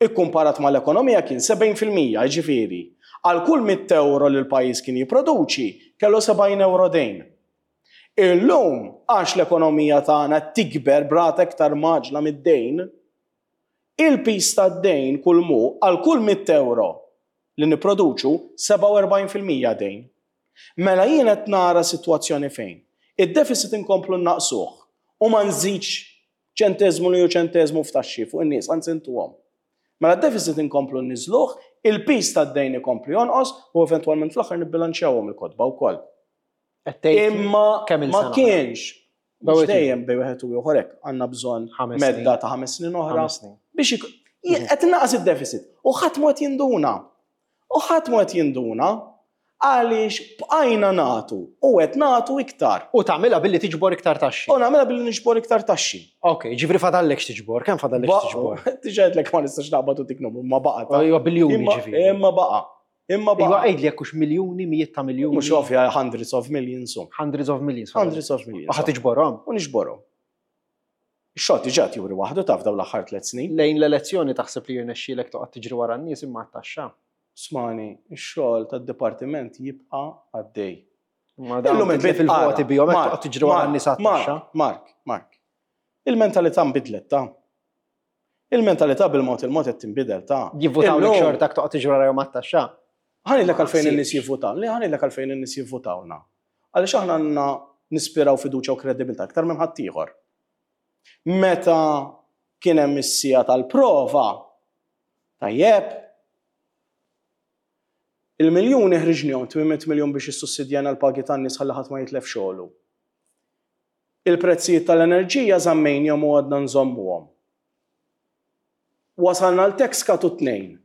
ikkumparat mal-ekonomija kien sebgħin fil-mija, ġifieri, għal kull mitt euro li l-pajjiż kien jipproduċi, kellu sebgħin euro dejn. Illum, għax l-ekonomija tagħna tikber b'rata iktar mgħaġġla mid-dejn, il-piż tad-dejn kull mu għal kull mitt euro li nipproduċu sebgħa u erbgħin fil-mija dejn. Mela jien qed nara sitwazzjoni fejn id-deficit inkomplu naqsuh u ma nżidx ċentezmu li ju ċentezmu f'taxxi fuq in-nies, anzi ntuhom. Mela d-deficit inkomplu nniżluh, il-piż tad-dejn ikomplu jonqos u eventwalment fl-aħħar nibbilanċjawhom il-kotba wkoll. Qed tgħid Imma kemm ma il-sena? kienx Bej mhux wieħed dejjem bej wieħed u ieħor hekk għandna bżonn Ħames medda snin. ta' ħames snin oħra Ħames snin. biex ik- qed naqas id-deficit u ħadd mod jinduna. U ħadd mod jinduna għaliex bqajna nagħtu u qed nagħtu iktar. U tagħmilha billi tiġbor iktar taxxi. U nagħmilha billi niġbor iktar taxxi. Ok, ġifri fadallek x'tiġbor, kemm fadallek x'tiġbor? Diġà għedtlek ma nistax naqbad u dik numru, ma baqa' ta' Iwa biljuni Imma ġifieri. Imma baqa'. Imma Iwa baqa'. għidli jekk hux miljuni, mijiet ta' miljuni. Mhux ovvja, hundreds of millions. um. Hundreds of millions. Hundreds of millions. U ħa tiġborhom. U niġborhom. Ix-xogħol diġà juri waħdu taf dawn l-aħħar tliet snin. Lejn l-elezzjoni taħseb li jirnexxielek toqgħod tiġri wara n-nies imma taxxa. Smani, ix-xogħol tad-dipartiment jibqa' għaddej. Ma dawn Illum titlef il-voti bihom hekk toqgħod tiġri wara n-nies għat-taxxa. Mark, Mark, Mark. Il-mentalità nbidlet ta' Il-mentalità bil-mod il-mod qed tinbidel ta' Jivvutaw lek Illum- xortak toqgħod tiġri wara jom għat-taxxa. Ħa ngħidlek għalfejn Ma in-nies jivvutaw. Le, ħa ngħidlek għalfejn in-nies jivvutawna. Għaliex aħna għandna nispiraw fiduċja u kredibilità aktar minn ħaddieħor. Meta kien hemm is-siegħa tal-prova, tajjeb, il-miljuni ħriġnihom, tmien mitt miljun biex issussidjana l-pagi tan-nies ħalli ħadd ma jitlef xogħlu. Il-prezzijiet tal-enerġija żammejnihom u għadna nżommuhom. Wasalna l-tax cut u tnejn.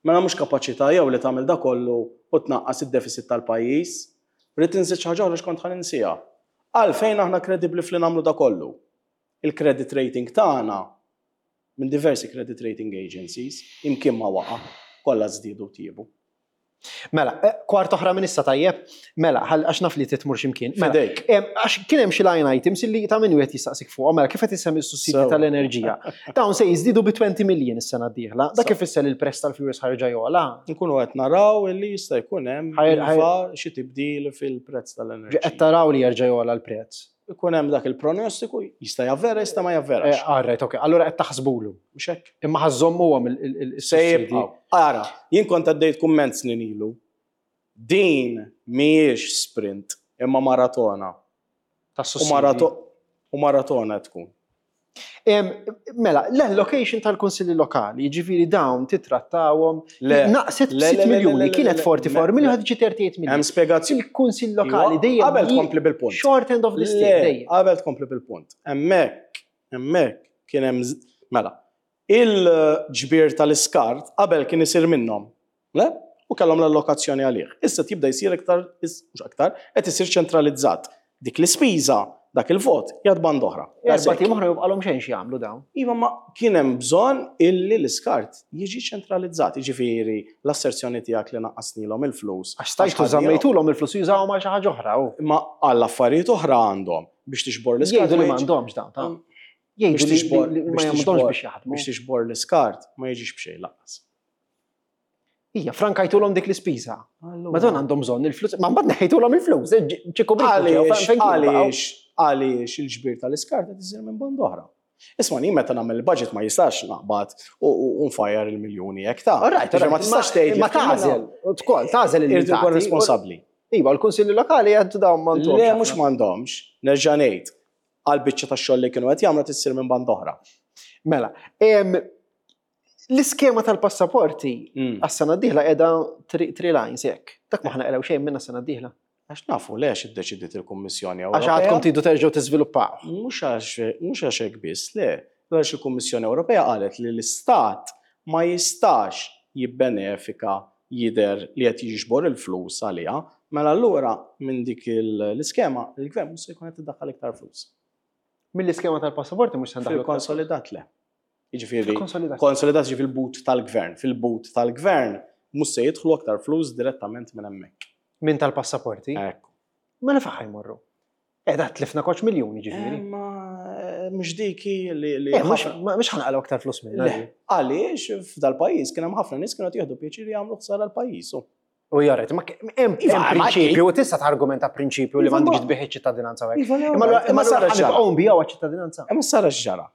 Mela mhux kapaċità jew li tagħmel da kollu u tnaqqas id-deficit tal-pajjiż. Rrid inżid xi ħaġa oħra x'kont ħa ninsiha. Għalfejn aħna kredibbli fli nagħmlu da kollu? Il-credit rating tagħna minn diversi credit rating agencies imkien ma waqa', kollha żdiedu tjiebu. Mela, eh, kwart oħra minn issa, tajjeb, mela, ħal- għax naf li titmur ximkien. Mela, Fidejk. em, għax kien hemm xi line items illi ta' min wieħed jistaqsik fuqhom, mela kif qed issemmi s-sussidji Sewa. tal-enerġija. Dawn se jiżdiedu bi għoxrin miljun is-sena d-dieħla. Dak Sewa. ifisser li l-prezz tal-fuels ħa jerġa' jogħla. Nkunu qed naraw illi jista' jkun hemm Ħajr- ħajr- iva xi tibdil fil-prezz tal-enerġija. Qed taraw li jerġa' jogħla l-prezz. Ikun hemm dak il-pronostiku, jista' javvera, jista' ma javverax. Eh, All right, ok. Allura qed taħsbulu. Mhux hekk. Imma ħa żżommuhom il Se is-sussidji. jibqgħu. Ara, jien kont għaddejt kumment snin ilu. Din mhijiex sprint, imma maratona. U Tas-sussidji. marato u maratona tkun. Em, Mela, l-allocation tal-kunsilli lokali, ġifieri dawn titrattawhom, Le, naqset le, le, b' sitt le, le, miljuni, le, kienet le, erbgħa u erbgħin le, miljoni, le. ħa tiġi tlieta u tletin Hemm miljoni. spjegazzjoni. Il-kunsill lokali Iva, dejjem Qabel ji- tkompli bil-punt. Short end of the stick Le, dejjem. qabel tkompli bil-punt. Hemmhekk, hemmhekk kien hemm z- mela. Il-ġbir tal-iskart qabel kien isir minnhom. Le? U kellhom l-allokazzjoni għalih. Issa tibda jsir iktar, is- mhux aktar, qed isir ċentralizzat. Dik l-ispiża, dak il-vot, jgħad band oħra. Erba' tim oħra jibqalhom xejn xi jagħmlu dawn. Iva, ma kien hemm bżonn illi l-iskart jiġi ċentralizzat. Jiġifieri l-asserzjoni tiegħek li naqqasnilhom il-flus. Għax stajtu għax żammejtulhom il-flus jużawhom għal xi ħaġa oħra. u. Ma għall affarijiet oħra għandhom biex tixbor l-iskart. Jgħidu li ma jiġi- m'għandhomx dawn, ta' Biex Jgħidu li tixbor- li ma biex jagħmluhomx tixbor- biex jaħdmu. Biex tixbor l-iskart ma jiġix b'xejn lanqas. Ija, frankajtulhom dik l-ispiża. Ma dawn għandhom bżonn il-flus. Ma mbagħad neħejtulhom il-flus. ċikku Għaliex, għaliex, għaliex il-ġbir tal-iskart qed isir minn band oħra. Isma' jien meta nagħmel il-budget ma jistax naqbad u u nfajjar il-miljuni hekk ta' All right, Ġifieri ma tistax tgħid Ma tagħżel, tkol, tagħżel il Irid ikun responsabbli. Iva, l-kunsilli lokali għaddu dawn m'għandhomx. Le, mhux m'għandhomx, nerġa' ngħid għal biċċa tax-xogħol li kienu qed jagħmlu tissir minn band oħra. Mela, em, l-iskema tal-passaporti Mm. għas-sena d-dieħla qiegħda three lines hekk. Dak ma ħa naqilgħu xejn minna s-sena d-dieħla. Għax nafu lex iddeċidiet il-Kummissjoni Għax Ewropea. għadkom tridu terġgħu tiżviluppaw. Mhux għax mhux għax hekk biss, le. Għax il-Kummissjoni Ewropea qalet li l-Istat ma jistax jibbenefika jider li qed jiġbor il-flus għaliha, mela allura minn dik il- l-iskema il-gvern mhux se jkun qed iddaħħal iktar flus. Mill-iskema tal-passaporti mhux se ndaħlu. Fil-konsolidat le. Jiġifieri Fil-konsolidat. konsolidat ġi fil-but tal-gvern. Fil-but tal-gvern mhux se jidħlu aktar flus direttament minn hemmhekk. Minn tal-passaporti. Ekku. Mela fejn ħa jmorru? Qiegħda tlifna koċ miljuni ġifieri. Ma mhux diki li li Eh, mhux ħafna- ma- mhux ħa naqilgħu aktar flus minna. Le, Għaliex f'dal-pajjiż kien hemm ħafna nies kienu qed jieħdu pjaċir jagħmlu ħsara l-pajjiż. u. U jaret, ma hemm Iva, hemm ma- prinċipju, u tista' targumenta prinċipju li Iva, m'għandekx ma- tbieħ iċ-ċittadinanza hekk. Iva, le, Imma allura- imma imma sara allura x'ġara. ħa nibqgħu nbigħu ċittadinanza. Imma sara x'ġara.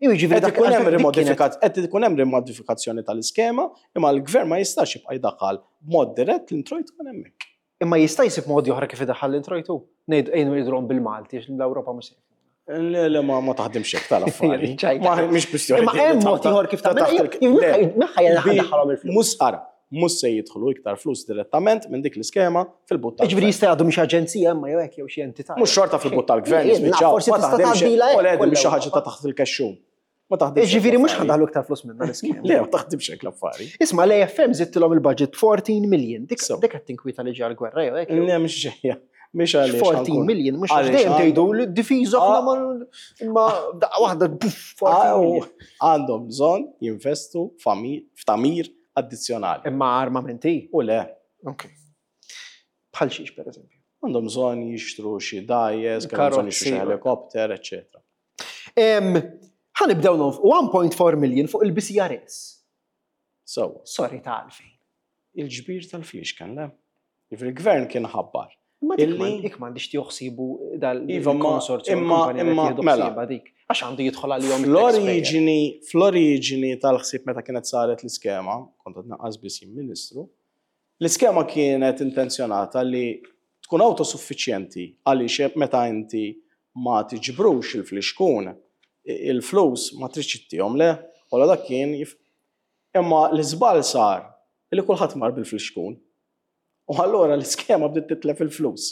Iva, ġifieri Qed dak ikun hemm għalfejn dik kienet- rimodifikat- qed ikun hemm rimodifikazzjoni tal-iskema, imma l-gvern ma jistax jibqa' jdaħħal b'mod dirett l-introjtu minn hemmhekk. Imma jista' jsib modi oħra kif idaħħal l-introjtu. Ngħidu ejnu jidhom bil-Malti għax l-Ewropa mhux se Le, le, ma ma taħdimx hekk tal-affari. Ċajta. Ma mhix kwistjoni. Imma hemm mod ieħor kif ta' tagħmel. taħt il- Le, Naħħa bi- daħħalhom il-flus. Mhux ara, mhux se jidħlu iktar flus direttament minn dik l-iskema fil-but Ġifieri tal-gvern. jista' jgħaddu mhix aġenzija imma jew hekk jew xi entità. Mhux xorta fil-but tal-gvern, Jien, naf, jispiċċaw. forsi Ma tista' taħdimx tgħaddilha hekk. hekk U le, kollha mhix xi ħaġa ta' Ewropa. taħt il-kexxun. Ma taħdimx. hekk Ġifieri mhux l-affari. ħa ndaħlu iktar flus minna l-iskema. Le, ma taħdimx hekk l-affari. Isma' l-A F M żidtilhom il-budget erbatax million. Dik So. dik qed tinkwita li ġej gwerra jew hekk. jew- Le, mhix ġejja. Mhix għaliex. fourteen ħa nkun- million, mhux Għaliex dejjem għandhom- tgħidu li d-difiża aħna Ah. ma imma daqqa waħda puff fourteen Għaw, million. għandhom bżonn jinvestu fami- f'tamir addizzjonali. Imma armamenti. U le, Ok. Bħal xiex, per eżempju? Għandhom bżonn jixtru xi dgħajjes, kellhom bżonn jixtru xi Karozzi. helikopter, eċetera. Em, Ħa nibdew nonf one point four million fuq il-B C R S. So, Sorry, ta' għalfejn. Il-ġbir tal-fliexken, le? Il-gvern kien ħabbar. Ma dik Illi- ma- dik m'għandix tieħu dal Iva, ma- il-konsorzju imma- imma- mela. mela. Dik. Għax għandu jidħol għalihom il-taxpayer. Fl-oriġini, fl-oriġini tal-ħsieb meta kienet saret l-iskema, kont qed naqqas biss jien ministru, L-iskema kienet intenzjonata li tkun autosuffiċjenti għaliex meta inti ma tiġbrux il-flixkun, il-flus ma tridx ittihom le, wala dak kien jif... Imma l-iżball sar li kulħadd mar bil-flixkun. U allura l-iskema bdiet titlef il-flus.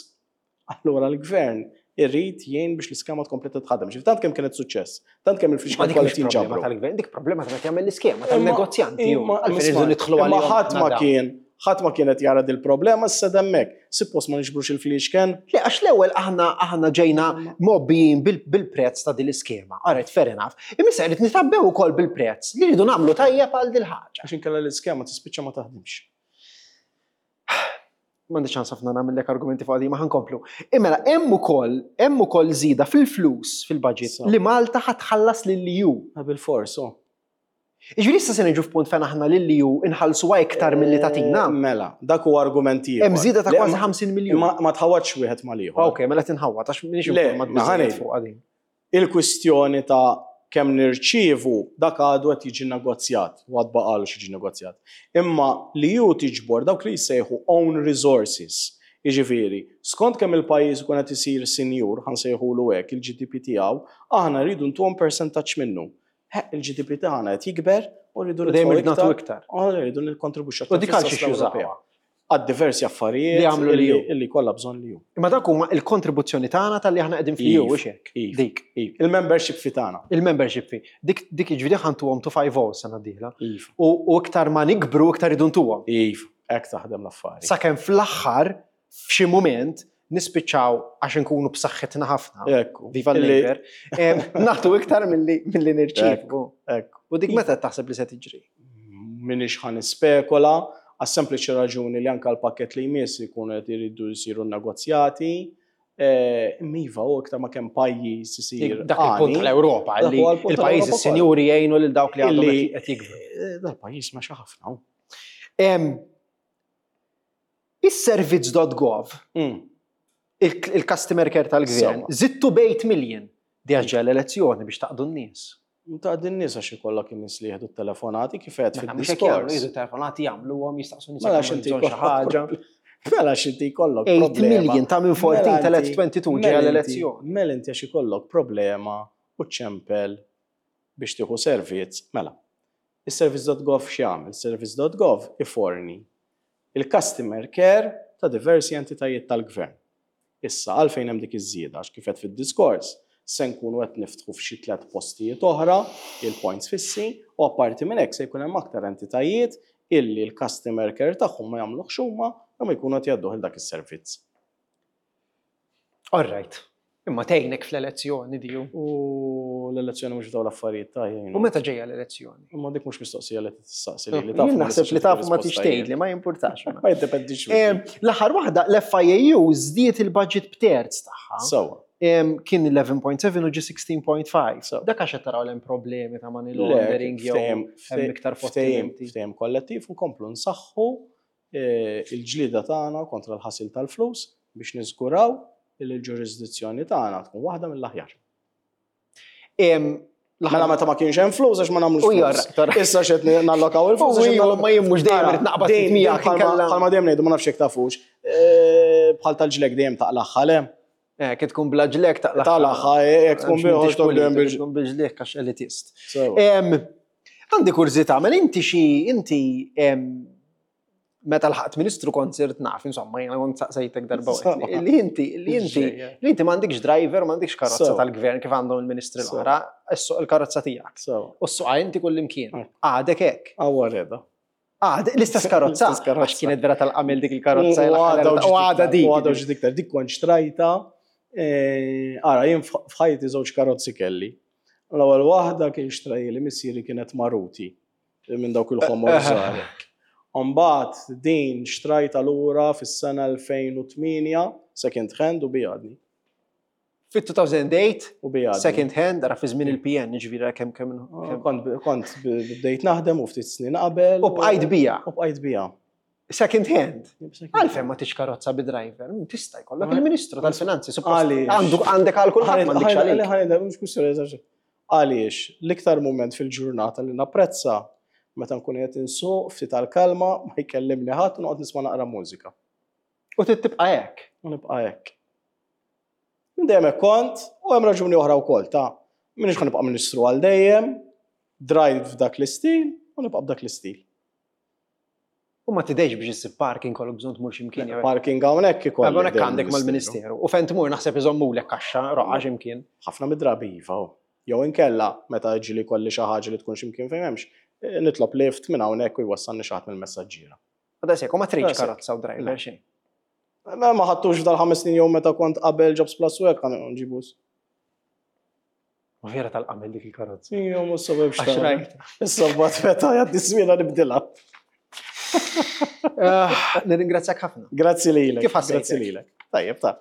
Allura l-gvern irrid jgħin biex l-iskema tkompli titħaddem. Ġifieri tant kemm kienet suċċess, tant kemm Ma il-flixkun dik kollha mhix problema jinġabru. tal-gvern, dik problema ta' meta jagħmel l-iskema Imma- tal-negozjanti. Imma Għalfejn irridu nidħlu imma għalihom ħadd ma aħna dawn. kien ħadd ma kienet jara dil-problema issa hemmhekk. Suppost ma niġbrux il-fliexken. Le, għax l-ewwel aħna aħna ġejna mobbijin bil- bil-prezz ta' din l-iskema. Alright, fair enough. Imma issa rrid nitabbew ukoll bil-prezz li rridu nagħmlu tajjeb għal dil ħaġa. Għax inkella l-iskema tispiċċa ma taħdimx. M'għandi ċans ħafna nagħmellek argumenti fuq ma ħa nkomplu. Imma hemm ukoll hemm ukoll żieda fil-flus fil-budget So. li Malta ħa tħallas lill-E U. Bil-fors, oh. Iġifieri issa se niġu f'punt fejn aħna lill-E U inħallsuha iktar milli tatina. Eh, Mela, dak huwa argument ieħor. Hemm żieda ta' Le, kważi ma- ħamsin miljun. Ma ma tħawwadx wieħed mal-ieħor. Ok, mela tinħawwad għax m'iniex Le, informat ma biżżejjed ħanej. fuq għadin. Il-kwistjoni ta' kemm nirċievu dak għadu qed jiġi negozjat, u għad baqalu jiġi negozjat. Imma li ju tiġbor dawk li jsejħu own resources. Jiġifieri, skont kemm il-pajjiż ikun qed isir sinjur, ħa nsejħulu hekk, il-G D P tiegħu, aħna rridu ntuhom percentaġġ minnu. He, il-G D P tagħna qed jikber u rridu U dejjem nitfgħu irridu nagħtu iktar. iktar. Aħna rridu nikkontribwixxu U dik għal fis-sas xiex jużawha. Ewropea. Għad diversi affarijiet Li għamlu li illi- ju. illi kollha bżonn li ju. Imma dak huma il-kontribuzzjoni tagħna tal-li aħna qegħdin fl-E U, Iv, hux hekk? iv. Dik. Iv, il-membership fee tagħna. Il-membership fee. Dik dik jiġifieri ħa ntuhom two five zero sena d-dieħla. Iv. U u iktar ma nikbru iktar idu ntuhom. Iv, hekk taħdem l-affari. Sakemm fl-aħħar f'xi mument nispiċċaw għax nkunu b'saħħitna ħafna. Ekku. Viva Illi- l-Labour. Em, Nagħtu iktar milli milli nirċievu. Ekku. U dik meta taħseb li se tiġri? Minix ħa nispekola, għas-sempliċi raġuni li anka l-pakket li jmiss ikunu qed iridu jsiru negozjati. Eh, Imma iva, u iktar ma kemm pajjiż isir Dak il-punt għani, tal-Ewropa dak li huwa l-punt il-pajjiżi tal-Ewropa sinjuri jgħinu lil dawk li għandhom Illi- qed jikbru. eh, Dal-pajjiż ma ħafna. Em, Is-servizz punt gov, Mm. il- il-customer care tal-gvern, Sewwa. żidtu b'eight million. Di għax ġej l-elezzjoni biex taqdu n-nies. Ta' din nies għax ikollok in-nies li jieħdu t-telefonati kif qed Mela, mhux hekk jagħmlu, fid-diskors. jieħdu telefonati jagħmluhom jistaqsu nies Mela jekk x'inti għandhom bżonn xi ħaġa. Mela x'inti jkollok eight problema. million ta' minn erbatax Mela telgħet inti- tnejn u għoxrin ġej mela inti- l-elezzjoni. Mela inti għax ikollok problema u ċempel biex tieħu servizz. Mela, is-service punt gov x'jagħmel? Service punt gov iforni il-customer care ta' diversi entitajiet tal-gvern. Issa, għalfejn hemm dik iż-żieda, għax kif qed fid-diskors, se nkunu qed niftħu f'xi tliet postijiet oħra, il-points fissi, u apparti minn hekk se jkun hemm aktar entitajiet illi l-customer care tagħhom ma jagħmluhx huma imma jkunu qed jgħadduh il dak is-servizz. All right. Imma tgħinek fl-elezzjoni diju. U l-elezzjoni mhux dawn l-affarijiet ta' jgħinu. U meta ġejja l-elezzjoni? Imma dik mhux mistoqsija li tistaqsi li li taf. Jien naħseb li taf ma tix tgħidli, ma jimpurtax. Ma jiddependix. Em, L-aħħar waħda, l-F I A U żdiet il-budget b'terz tagħha. Sewwa. Em, Kien għaxra punt seba' u ġi sittax punt ħamsa. So. Dak għax qed taraw hemm problemi ta' money laundering jew hemm iktar ftehim fottimenti. ftehim kollettiv nkomplu nsaħħu eh, il-ġlida tagħna kontra l-ħasil tal-flus biex niżguraw li l-ġurisdizzjoni tagħna tkun waħda mill-aħjar. Em, Mela meta ma kienx hemm flus għax ma nagħmlux U flus. jor, Issa x'qed nallokaw il-flus. U għax iva, nallokaw- ma jien mhux dejjem Ara, irid naqbad dejjem- miegħek bħalma inkella- bħalma dejjem ngħidu, ma nafx jekk tafux. eh, Bħal tal-ġlek dejjem taqlaħħa le. Eh, kif tkun bla ġlek taqlaħħa. Taqlaħħa, eh, jekk tkun biħoġ dejjem bil. tkun bil-ġlek għax elitist. Sewwa. Em, Għandi kurżità, mela inti xi inti em, meta lħaqt ministru kont sirt naf, insomma, jena kont saqsejtek darba Sewwa. li inti li inti li inti m'għandikx driver, m'għandikx karozza Sewwa. tal-gvern kif għandhom il-ministri Sewwa. l-oħra, issuq il-karozza tiegħek. Sewwa. U ssuqha inti kull imkien. Mm. Għadek hekk. Għawwa reda. Għadek l-istess karozza. L-istess karozza. Għax kienet vera tal-qamel dik il-karozza. U għadha U għadha dik. U għadha ġiet iktar. Dik kont xtrajta. eh, Ara, jien f'ħajti żewġ karozzi kelli. L-ewwel waħda kien xtrajli missieri, kienet Maruti minn dawk il-ħomor żgħar. Mbagħad din xtrajta lura fis-sena elfejn u tmienja second hand u bijadni. Fit-elfejn u tmienja, U bijadni. Second hand, ara fi żmien il-P N, ġifieri kemm kemm kemm- Kont kont bdejt naħdem u ftit snin qabel. U bqajt bija. U bqajt bija. Second hand. Għalfejn ma tix karozza bi driver, mm, tista' jkollok Ma- il-Ministru tal-Finanzi, suppost Għaliex? għandu għandek għal kulħadd, m'għandekx għalik. Għaliex, l-iktar moment fil-ġurnata li napprezza Meta nkun qed insuq ftit tal-kalma, ma jkellimni ħadd u noqgħod nisma' naqra mużika. U tibqa' hekk. U nibqa' hekk. Minn dejjem hekk kont, u hemm raġuni oħra wkoll ta' minix ħa nibqa' ministru għal dejjem, drajt f'dak l-istil u nibqa' b'dak l-istil. U ma tidejx biex issib parking, kollok bżonn tmur x'imkien jew. Parking hawnhekk ikolli. Hawnhekk dejjem għandek mal-Ministeru. U fejn tmur naħseb iżommulek kaxxa roqgħa x'imkien. Ħafna mid-drabi iva. hu. Jew inkella meta ġieli kolli xi ħaġa li tkun x'imkien fejn m'hemmx, eh, nitlob lift minn hawnhekk u jwassalni xi ħadd mill-messaġġiera. U daqshekk, u ma tridx Daqshekk. karozza u driver xejn. Ma ma ħadtux f'dal-ħames snin jew meta kont qabel Jobs Plus u hekk nġibus. Ma vera tal-qamel dik il-karozza. Ija, mhux sabab Għax rajt. Issa mbagħad meta jgħaddi żmienha nibdilha. Ah, nirringrazzjak ħafna. Grazzi lilek. Kif ħassejtek? Grazzi lilek. Tajjeb, ta'